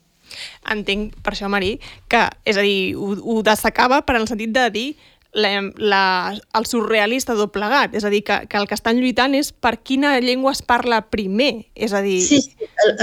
Entenc, per això, Marí, que, és a dir, ho destacava per en el sentit de dir el surrealista doblegat, és a dir, que el que estan lluitant és per quina llengua es parla primer, és a dir... Sí,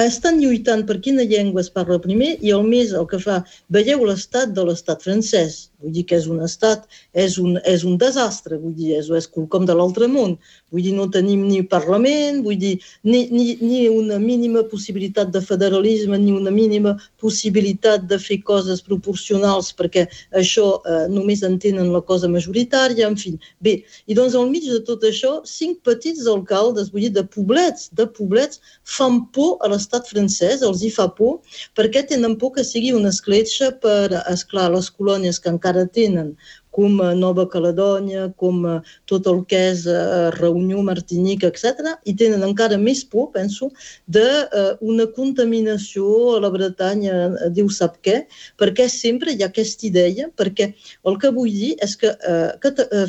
estan lluitant per quina llengua es parla primer i el que fa... Veieu l'estat de l'estat francès, vull dir que és un estat, és un desastre, vull dir, és quelcom de l'altre món, vull dir, no tenim ni parlament, vull dir, ni una mínima possibilitat de federalisme, ni una mínima possibilitat de fer coses proporcionals, perquè això només entenen la cosa majoritària, en fi. Bé, i doncs al mig de tot això, 5 petits alcaldes, vull dir, de poblets, fan por a l'estat francès, els hi fa por, perquè tenen por que sigui una escletxa per, esclar, les colònies que encara tenen, com Nova Caledònia, com tot el que és Reunió, Martinica, etc. I tenen encara més por, penso, d'una contaminació a la Bretanya, Déu sap què, perquè sempre hi ha aquesta idea, perquè el que vull dir és que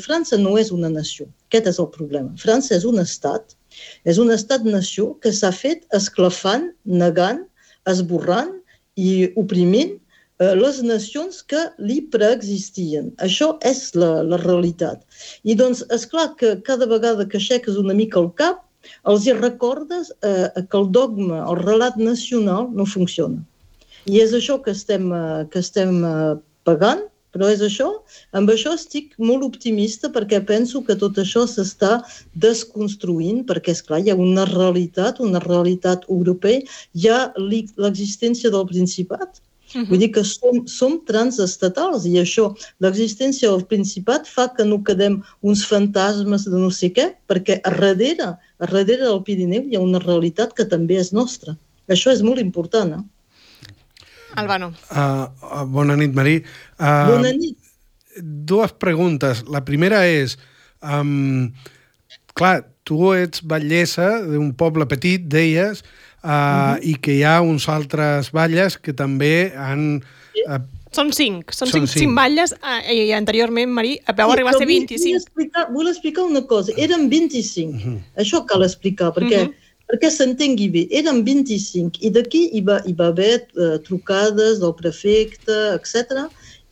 França no és una nació. Aquest és el problema. França és un estat-nació que s'ha fet esclafant, negant, esborrant i oprimint les nacions que li preexistien. Això és la realitat. I doncs, esclar que cada vegada que aixeques una mica el cap, els hi recordes que el dogma, el relat nacional no funciona. I és això que estem pagant, però és això. Amb això estic molt optimista perquè penso que tot això s'està desconstruint, perquè, esclar, hi ha una realitat europea, hi ha l'existència del Principat. Vull dir que som transestatals i això, l'existència del Principat fa que no quedem uns fantasmes de no sé què, perquè a darrere del Pirineu hi ha una realitat que també és nostra. Això és molt important. Albano. Bona nit, Marí. Bona nit. 2 preguntes. La primera és, clar, tu ets batllessa d'un poble petit, deies, i que hi ha uns altres batlles que també han... Són 5 batlles i anteriorment, Marí, vau arribar a ser 25. Vull explicar una cosa, eren 25, això cal explicar, perquè s'entengui bé, eren 25 i d'aquí hi va haver trucades del prefecte, etc.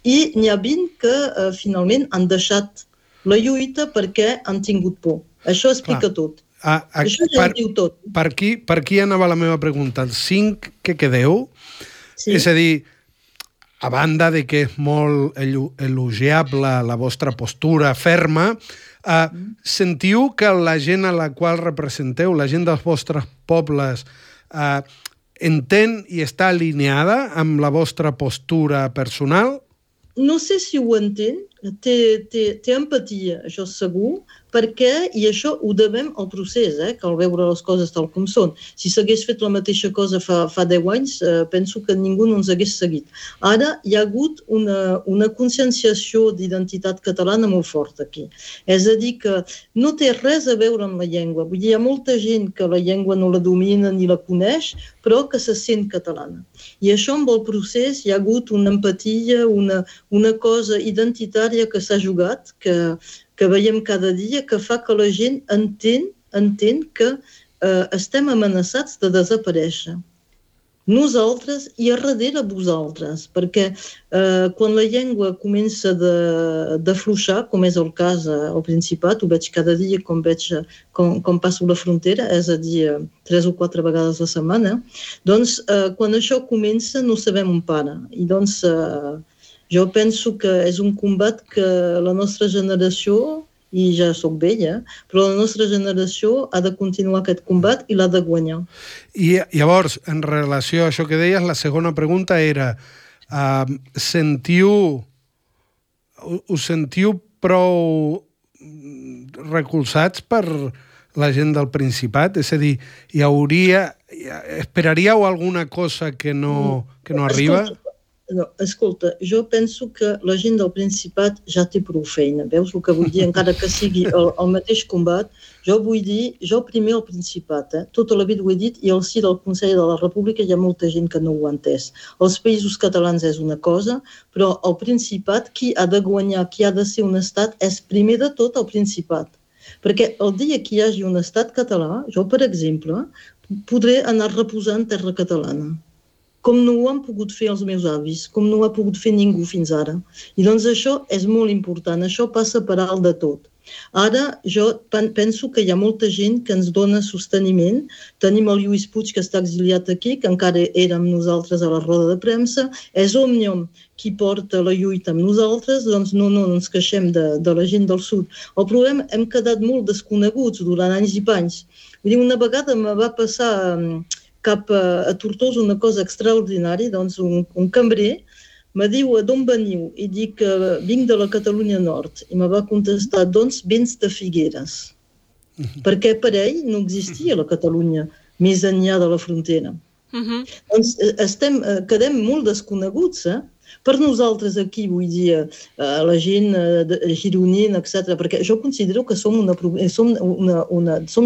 I n'hi ha 20 que finalment han deixat la lluita perquè han tingut por. Això explica tot. Això ja ho diu tot. Per aquí anava la meva pregunta. Els 5 que quedeu, és a dir, a banda de que és molt elogiable la vostra postura ferma, sentiu que la gent a la qual representeu, la gent dels vostres pobles, entén i està alineada amb la vostra postura personal? No sé si ho entén, té empatia, això segur, perquè, i això ho devem al procés, cal veure les coses tal com són. Si s'hagués fet la mateixa cosa fa 10 anys, penso que ningú no ens hagués seguit. Ara hi ha hagut una conscienciació d'identitat catalana molt forta aquí. És a dir, que no té res a veure amb la llengua. Vull dir, hi ha molta gent que la llengua no la domina ni la coneix, però que se sent catalana. I això amb el procés hi ha hagut una empatia, una cosa identitària que s'ha jugat, que veiem cada dia, que fa que la gent entén que estem amenaçats de desaparèixer. Nosaltres i a darrere vosaltres, perquè quan la llengua comença d'afluixar, com és el cas al Principat, ho veig cada dia com passo la frontera, és a dir, 3 o 4 vegades a la setmana, doncs quan això comença no sabem on para. I doncs jo penso que és un combat que la nostra generació, i ja soc vella, però la nostra generació ha de continuar aquest combat i l'ha de guanyar. I llavors, en relació a això que deies, la segona pregunta era, us sentiu prou recolzats per la gent del Principat? És a dir, esperaríeu alguna cosa que no arriba? Escolta, jo penso que la gent del Principat ja té prou feina. Veus el que vull dir? Encara que sigui el mateix combat, jo vull dir, jo primer al Principat, tota la vida ho he dit, i al si del Consell de la República hi ha molta gent que no ho ha entès. Els països catalans és una cosa, però al Principat qui ha de guanyar, qui ha de ser un estat, és primer de tot el Principat. Perquè el dia que hi hagi un estat català, jo, per exemple, podré anar reposant terra catalana, com no ho han pogut fer els meus avis, com no ho ha pogut fer ningú fins ara. I doncs això és molt important, això passa per alt de tot. Ara jo penso que hi ha molta gent que ens dona sosteniment. Tenim el Lluís Puig, que està exiliat aquí, que encara era amb nosaltres a la roda de premsa. És Òmnium qui porta la lluita amb nosaltres, doncs no ens queixem de la gent del sud. El problema, hem quedat molt desconeguts durant anys i panys. Vull dir, una vegada me va passar cap a Tortosa una cosa extraordinària, doncs un cambrer me diu d'on veniu? I dic que vinc de la Catalunya Nord. I me va contestar, doncs vens de Figueres. Perquè per ell no existia la Catalunya més enllà de la frontera. Doncs quedem molt desconeguts, per nosaltres aquí, vull dir, la gent gironina, etc., perquè jo considero que som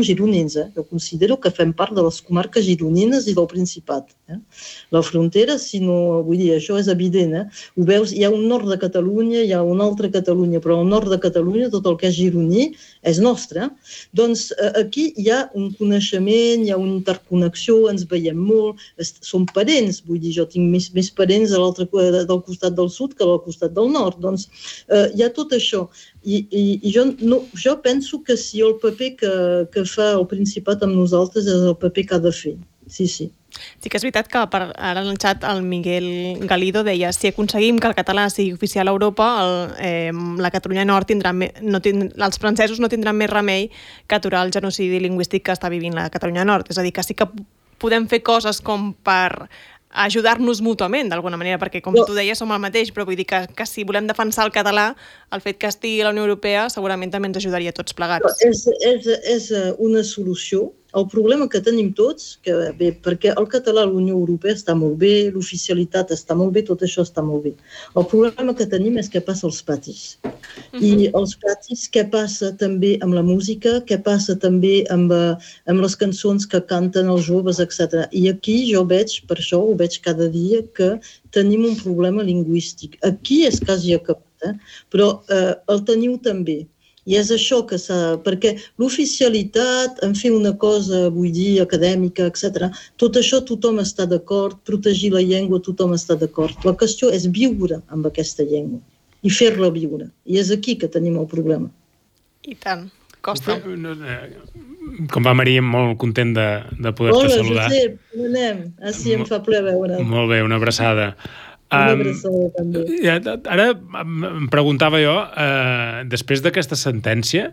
gironins, jo considero que fem part de les comarques gironines i del Principat. La frontera, si no, vull dir, això és evident, ho veus, hi ha un nord de Catalunya, hi ha una altra Catalunya, però al nord de Catalunya tot el que és gironí és nostre. Doncs aquí hi ha un coneixement, hi ha una interconnexió, ens veiem molt, som parents, vull dir, jo tinc més parents del costat del sud que del costat del nord. Doncs hi ha tot això. I jo penso que si el paper que fa el Principat amb nosaltres és el paper que ha de fer. Sí. Sí que és veritat que ara en el xat el Miguel Galido deia si aconseguim que el català sigui oficial a Europa, la Catalunya Nord els francesos no tindran més remei que aturar el genocidi lingüístic que està vivint la Catalunya Nord. És a dir, que sí que podem fer coses com per ajudar-nos mútuament, d'alguna manera, perquè, com tu deies, som el mateix, però vull dir que si volem defensar el català, el fet que estigui a la Unió Europea segurament també ens ajudaria a tots plegats. És una solució. El problema que tenim tots, perquè el català a la Unió Europea està molt bé, l'oficialitat està molt bé, tot això està molt bé. El problema que tenim és què passa als patis. I els patis, què passa també amb la música, què passa també amb les cançons que canten els joves, etc. I aquí jo veig, per això ho veig cada dia, que tenim un problema lingüístic. Aquí és quasi acabat, però el teniu també. I és això que perquè l'oficialitat, en fer una cosa, vull dir, acadèmica, etc., tot això tothom està d'acord, protegir la llengua, tothom està d'acord. La qüestió és viure amb aquesta llengua i fer-la viure. I és aquí que tenim el problema. I tant. Costa. Com va, Maria, molt content de poder-te saludar. Hola, Josep, com anem? Sí, em fa ple veure. Molt bé, una abraçada. Una abraçada també. Ara em preguntava jo, després d'aquesta sentència,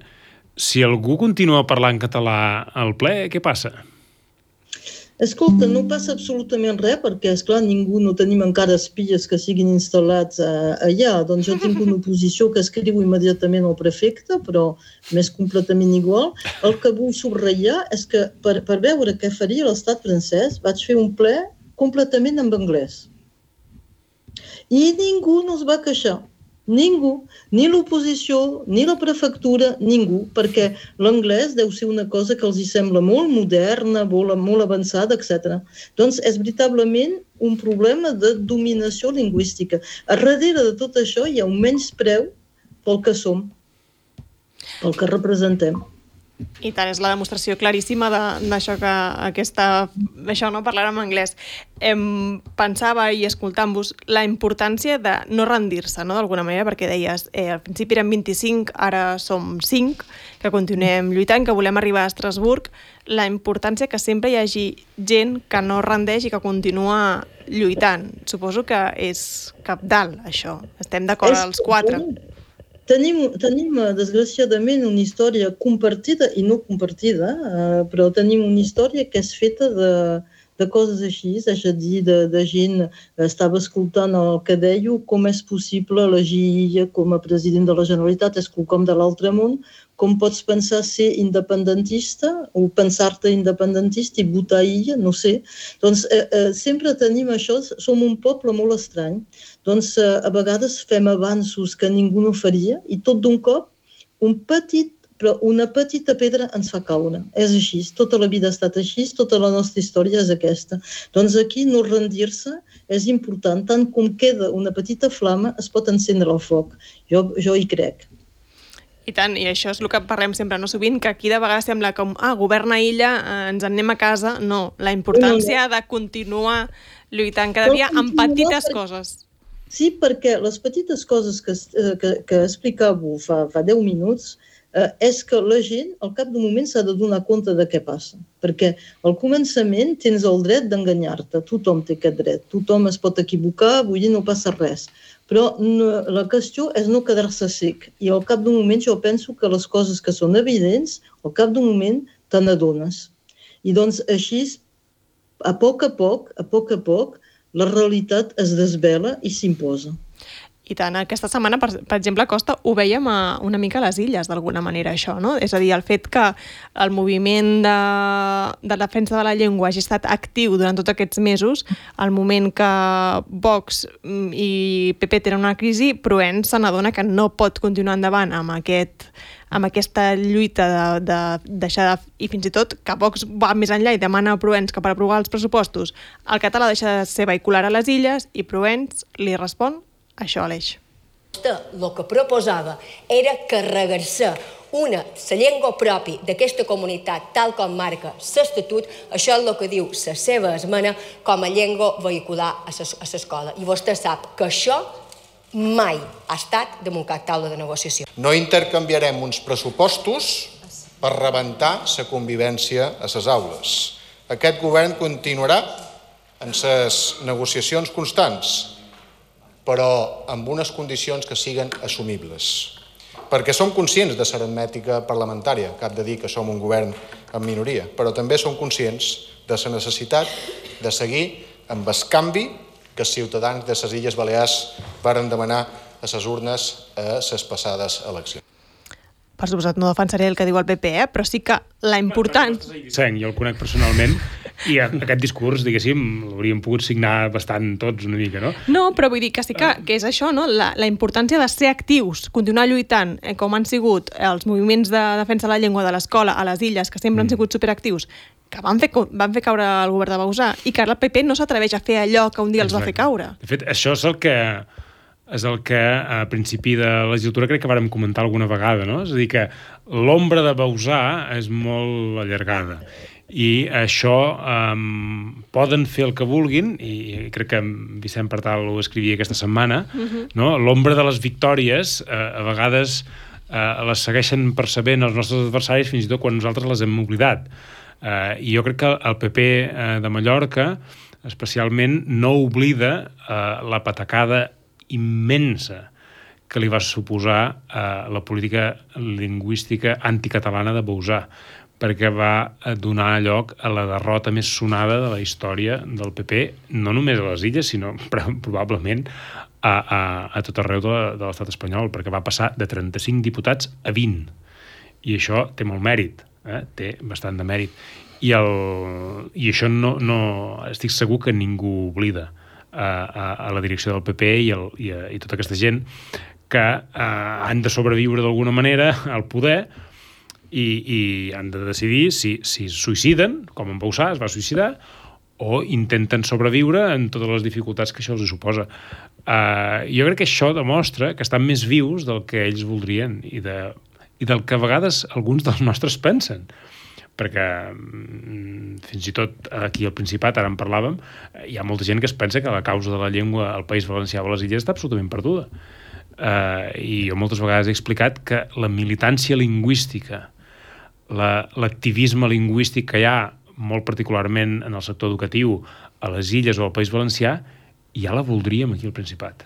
si algú continua parlant català al ple, què passa? Escolta, no passa absolutament res, perquè, esclar, no tenim encara espies que siguin instal·lats allà. Doncs jo tinc una oposició que escriu immediatament al prefecte, però m'és completament igual. El que vull subratllar és que, per veure què faria l'estat francès, vaig fer un ple completament en anglès. I ningú no es va queixar. Ningú, ni l'oposició, ni la prefectura, ningú, perquè l'anglès deu ser una cosa que els hi sembla molt moderna, molt avançada, etc. Doncs és veritablement un problema de dominació lingüística. A darrere de tot això hi ha un menyspreu pel que som, pel que representem. I tant, és la demostració claríssima d'això que això no parlar en anglès. Pensava i escoltant-vos la importància de no rendir-se, no? D'alguna manera, perquè deies, al principi eren 25, ara som 5, que continuem lluitant, que volem arribar a Estrasburg. La importància que sempre hi hagi gent que no rendeix i que continua lluitant. Suposo que és cabdal, això. Estem d'acord els 4. Tenim, desgraciadament, una història compartida i no compartida, però tenim una història que és feta de coses així, és a dir, de gent, estava escoltant el que deia, com és possible elegir Illa com a president de la Generalitat, és quelcom de l'altre món, com pots pensar ser independentista o pensar-te independentista i votar Illa, no sé. Doncs sempre tenim això, som un poble molt estrany, doncs a vegades fem avanços que ningú no faria i tot d'un cop una petita pedra ens fa caure. És així, tota la vida ha estat així, tota la nostra història és aquesta. Doncs aquí no rendir-se és important, tant com queda una petita flama es pot encendre el foc. Jo hi crec. I tant, i això és el que parlem sempre, no sovint, que aquí de vegades sembla com, governa Illa, ens en anem a casa. No, la importància de continuar lluitant cada dia amb petites coses. Sí, perquè les petites coses que explicàveu fa 10 minuts és que la gent al cap d'un moment s'ha de donar compte de què passa. Perquè al començament tens el dret d'enganyar-te, tothom té aquest dret, tothom es pot equivocar, vull dir, no passa res. Però la qüestió és no quedar-se sec. I al cap d'un moment jo penso que les coses que són evidents, al cap d'un moment te n'adones. I doncs així, a poc a poc, la realitat es desvela i s'imposa. I tant, aquesta setmana, per exemple, Costa, ho vèiem una mica a les Illes, d'alguna manera, això, no? És a dir, el fet que el moviment de defensa de la llengua hagi estat actiu durant tots aquests mesos, al moment que Vox i PP tenen una crisi, Proens se n'adona que no pot continuar endavant amb aquesta lluita de deixar i fins i tot que Vox va més enllà i demana a Proens que per aprovar els pressupostos el català deixa de ser vehicular a les Illes i Proens li respon això, Aleix. El que proposava era carregar-se la llengua pròpia d'aquesta comunitat, tal com marca l'Estatut, això és el que diu la seva esmena com a llengua vehicular a l'escola. I vostè sap que això mai ha estat damunt cap taula de negociació. No intercanviarem uns pressupostos per rebentar la convivència a les aules. Aquest govern continuarà en les negociacions constants, però amb unes condicions que siguen assumibles. Perquè som conscients de l'aritmètica parlamentària, que ha de dir que som un govern en minoria, però també som conscients de la necessitat de seguir amb el canvi que els ciutadans de les Illes Balears varen demanar a les urnes a les passades eleccions. Per suposat, no defensaré el que diu el PP, però sí que la important... Jo el conec personalment i aquest discurs, diguéssim, l'hauríem pogut signar bastant tots una mica, no? No, però vull dir que sí que és això, no? La importància de ser actius, continuar lluitant, com han sigut els moviments de defensa de la llengua de l'escola a les Illes, que sempre han sigut superactius, que van fer caure el govern de Bauzá i que ara el PP no s'atreveix a fer allò que un dia els va fer caure. De fet, això és el que a principi de la legislatura crec que vàrem comentar alguna vegada, no? És a dir, que l'ombra de Bauzá és molt allargada i això poden fer el que vulguin, i crec que Vicent Partal ho escrivia aquesta setmana, no? L'ombra de les victòries a vegades les segueixen percebent els nostres adversaris fins i tot quan nosaltres les hem oblidat. I jo crec que el PP de Mallorca especialment no oblida la patacada immensa que li va suposar la política lingüística anticatalana de Bauzá, perquè va donar lloc a la derrota més sonada de la història del PP, no només a les Illes, sinó probablement a tot arreu de l'estat espanyol, perquè va passar de 35 diputats a 20. I això té molt mèrit, té bastant de mèrit. I això no estic segur que ningú oblida a la direcció del PP i tota aquesta gent que han de sobreviure d'alguna manera al poder i han de decidir si suïciden, com en Bauzá es va suïcidar, o intenten sobreviure en totes les dificultats que això els suposa. Jo crec que això demostra que estan més vius del que ells voldrien i del que a vegades alguns dels nostres pensen. Perquè fins i tot aquí al Principat, ara en parlàvem, hi ha molta gent que es pensa que la causa de la llengua al País Valencià o a les Illes està absolutament perduda. I jo moltes vegades he explicat que la militància lingüística, l'activisme lingüístic que hi ha, molt particularment en el sector educatiu, a les Illes o al País Valencià, ja la voldríem aquí al Principat.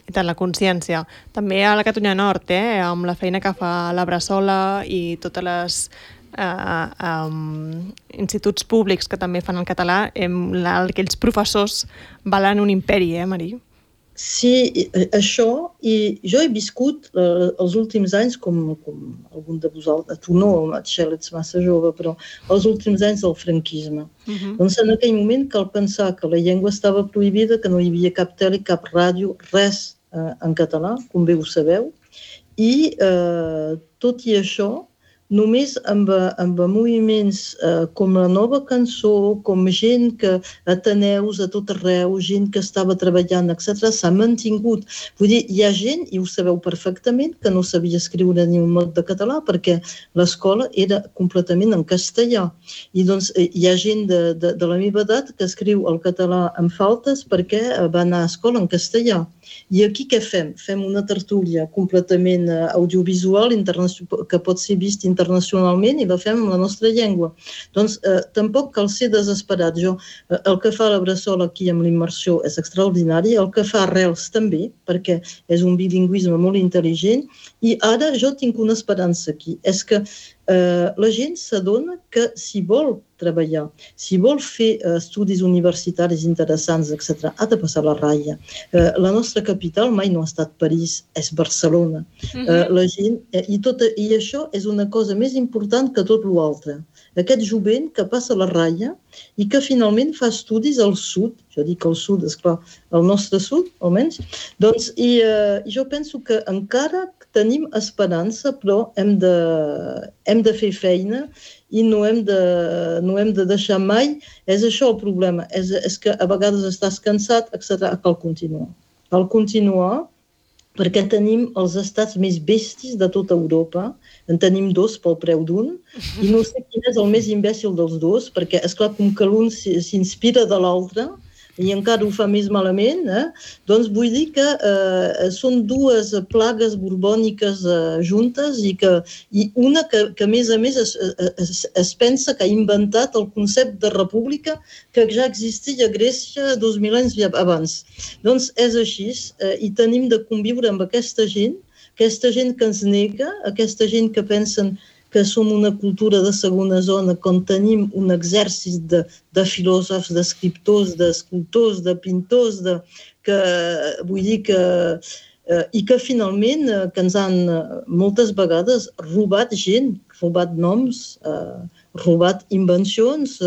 I tant, la consciència. També a la Catalunya Nord, amb la feina que fa la Bressola i totes les instituts públics que també fan el català, aquells professors valen un imperi, Marí? Sí, això, i jo he viscut els últims anys, com algun de vosaltres, tu no, Txell, ets massa jove, però els últims anys del franquisme. Doncs en aquell moment cal pensar que la llengua estava prohibida, que no hi havia cap tele, cap ràdio, res en català, com bé ho sabeu, i tot i això, només amb moviments com la Nova Cançó, com gent que ateneus a tot arreu, gent que estava treballant, etc., s'ha mantingut. Vull dir, hi ha gent, i ho sabeu perfectament, que no sabia escriure ni un mot de català perquè l'escola era completament en castellà. I doncs hi ha gent de la meva edat que escriu el català amb faltes perquè va anar a escola en castellà. I aquí què fem? Fem una tertúlia completament audiovisual que pot ser vist internacionalment i la fem en la nostra llengua. Doncs tampoc cal ser desesperat. El que fa la Bressola aquí amb l'immersió és extraordinari, el que fa Arrels també, perquè és un bilingüisme molt intel·ligent, i ara jo tinc una esperança aquí, és que la gent s'adona que si vol treballar, si vol fer estudis universitaris interessants, etc., ha de passar la ratlla. La nostra capital mai no ha estat París, és Barcelona. La gent, i això és una cosa més important que tot l'altre. Aquest jovent que passa la ratlla i que finalment fa estudis al sud, jo dic al sud, esclar, al nostre sud, almenys, doncs, i jo penso que encara tenim esperança, però hem de fer feina i no hem de deixar mai. És això el problema, és que a vegades estàs cansat, etc. Cal continuar. Cal continuar perquè tenim els estats més bestis de tota Europa. En tenim dos pel preu d'un i no sé quin és el més imbècil dels dos, perquè, esclar, com que l'un s'inspira de l'altre i encara ho fa més malament, doncs vull dir que són dues plagues borbòniques juntes i una que a més es pensa que ha inventat el concepte de república que ja existia a Grècia 2000 anys abans. Doncs és així i tenim de conviure amb aquesta gent que ens nega, aquesta gent que pensen que som una cultura de segona zona, quan tenim un exèrcit de filòsofs, d'escriptors, d'escultors, de pintors, i que finalment que ens han moltes vegades robat gent, robat noms, robat invencions,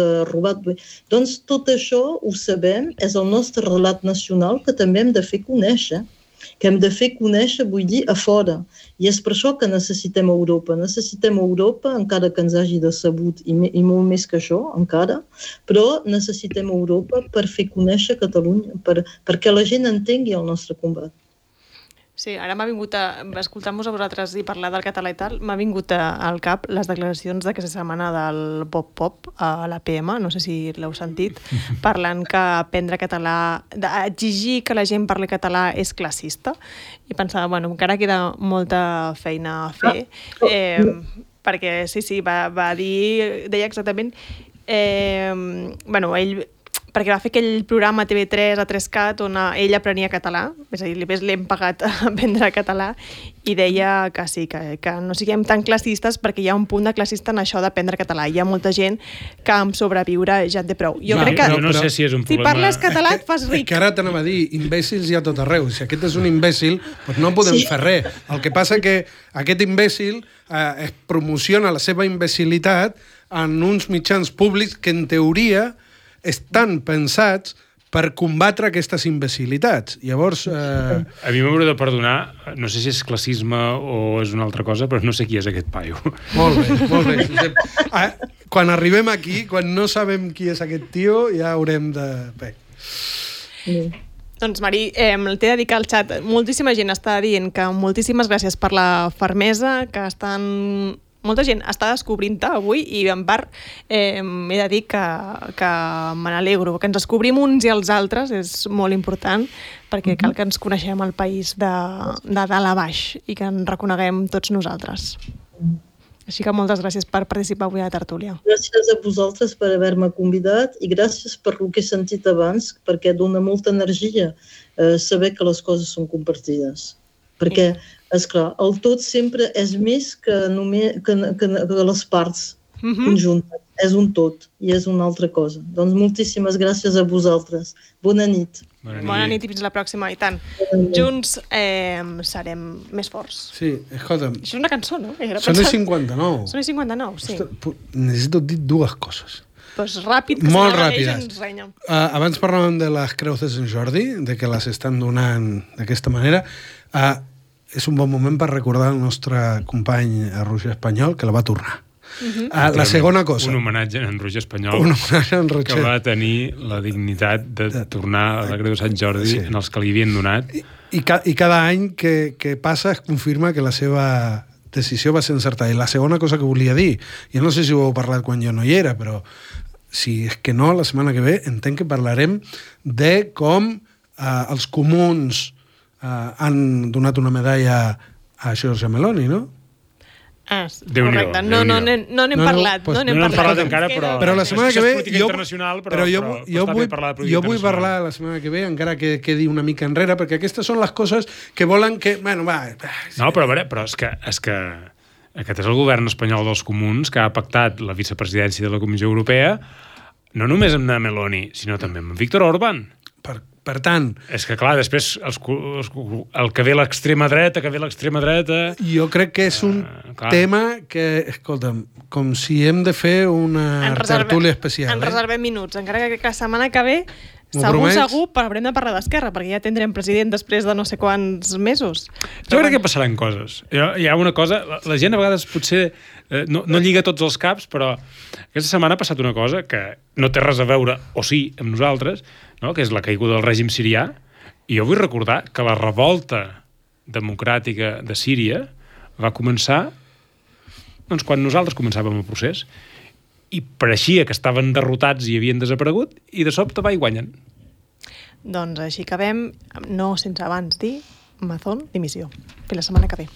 Doncs tot això ho sabem, és el nostre relat nacional que també hem de fer conèixer. Que hem de fer conèixer, vull dir, a fora. I és per això que necessitem Europa. Necessitem Europa, encara que ens hagi decebut, i molt més que això, encara, però necessitem Europa per fer conèixer Catalunya, perquè la gent entengui el nostre combat. Sí, ara m'ha vingut escoltant-vos a vosaltres i parlar del català i tal, m'ha vingut al cap les declaracions d'aquesta setmana del Bob Pop a l'APM, no sé si l'heu sentit, parlant que aprendre català, exigir que la gent parli català és classista, i pensava, bueno, encara queda molta feina a fer, perquè sí, va dir, deia exactament, bueno, ell perquè va fer aquell programa a TV3, a 3CAT, on ell aprenia català, és a dir, l'hem pagat a aprendre català, i deia que sí, que no siguem tan classistes perquè hi ha un punt de classista en això d'aprendre català. Hi ha molta gent que amb sobreviure ja en té prou. Jo crec que no sé si és un problema. Si parles català et fas ric. És que ara t'anava a dir, imbècils hi ha tot arreu. Si aquest és un imbècil, doncs no podem fer res. El que passa que aquest imbècil es promociona la seva imbecilitat en uns mitjans públics que en teoria estan pensats per combatre aquestes imbecilitats. Llavors... A mi m'hauré de perdonar, no sé si és classisme o és una altra cosa, però no sé qui és aquest paio. Molt bé. Quan arribem aquí, quan no sabem qui és aquest tio, ja haurem de... Doncs, Marí, t'he de dir que al xat moltíssima gent està dient que moltíssimes gràcies per la fermesa, que molta gent està descobrint-te avui i en part he de dir que me n'alegro, que ens descobrim uns i els altres és molt important perquè cal que ens coneixem el país de dalt a baix i que ens reconeguem tots nosaltres. Així que moltes gràcies per participar avui a la tertúlia. Gràcies a vosaltres per haver-me convidat i gràcies per el que he sentit abans, perquè dona molta energia saber que les coses són compartides. Perquè, esclar, el tot sempre és més que les parts. conjunta. És un tot i és una altra cosa. Doncs moltíssimes gràcies a vosaltres. Bona nit. Bona nit i fins la pròxima, i tant. Junts serem més forts. Sí, escolta'm. Això és una cançó, no? Són les 59. Són les 59, sí. Necessito dir dues coses. Doncs ràpid, que molt se ràpides. ens renya. Abans parlàvem de les creus de Sant Jordi, de que les estan donant d'aquesta manera. És un bon moment per recordar el nostre company Roger Espanyol, que la va tornar. La segona cosa. Un homenatge a en Roger Espanyol, un homenatge a en Roger, que va tenir la dignitat de tornar a la Creu de Sant Jordi en els que li havien donat. I cada any que passa es confirma que la seva decisió va ser encertada. I la segona cosa que volia dir, jo no sé si ho heu parlat quan jo no hi era, però si és que no, la setmana que ve entenc que parlarem de com els comuns han donat una medalla a Giorgia Meloni, no? Correcte, no n'hem parlat. No n'hem parlat encara, però la setmana que ve jo vull parlar la setmana que ve, encara que quedi una mica enrere, perquè aquestes són les coses que volen que... Bueno, va... No, però a veure, és que aquest és el govern espanyol dels comuns que ha pactat la vicepresidència de la Comissió Europea no només amb Meloni, sinó també amb Víctor Orbán. Per tant... És que, clar, després el que ve l'extrema dreta, Jo crec que és un tema que, escolta'm, com si hem de fer una tertúlia especial. En reservem minuts, encara que la setmana que ve segur haurem de parlar d'Esquerra, perquè ja tindrem president després de no sé quants mesos. Jo crec que passaran coses. Hi ha una cosa, la gent a vegades potser no lliga tots els caps, però aquesta setmana ha passat una cosa que no té res a veure, o sí, amb nosaltres, no? Que és la caiguda del règim sirià, i jo vull recordar que la revolta democràtica de Síria va començar quan nosaltres començàvem el procés, i pareixia que estaven derrotats i havien desaparegut, i de sobte va i guanyen. Doncs així acabem, no sense abans dir Mazón, dimissió. Fins la setmana que ve.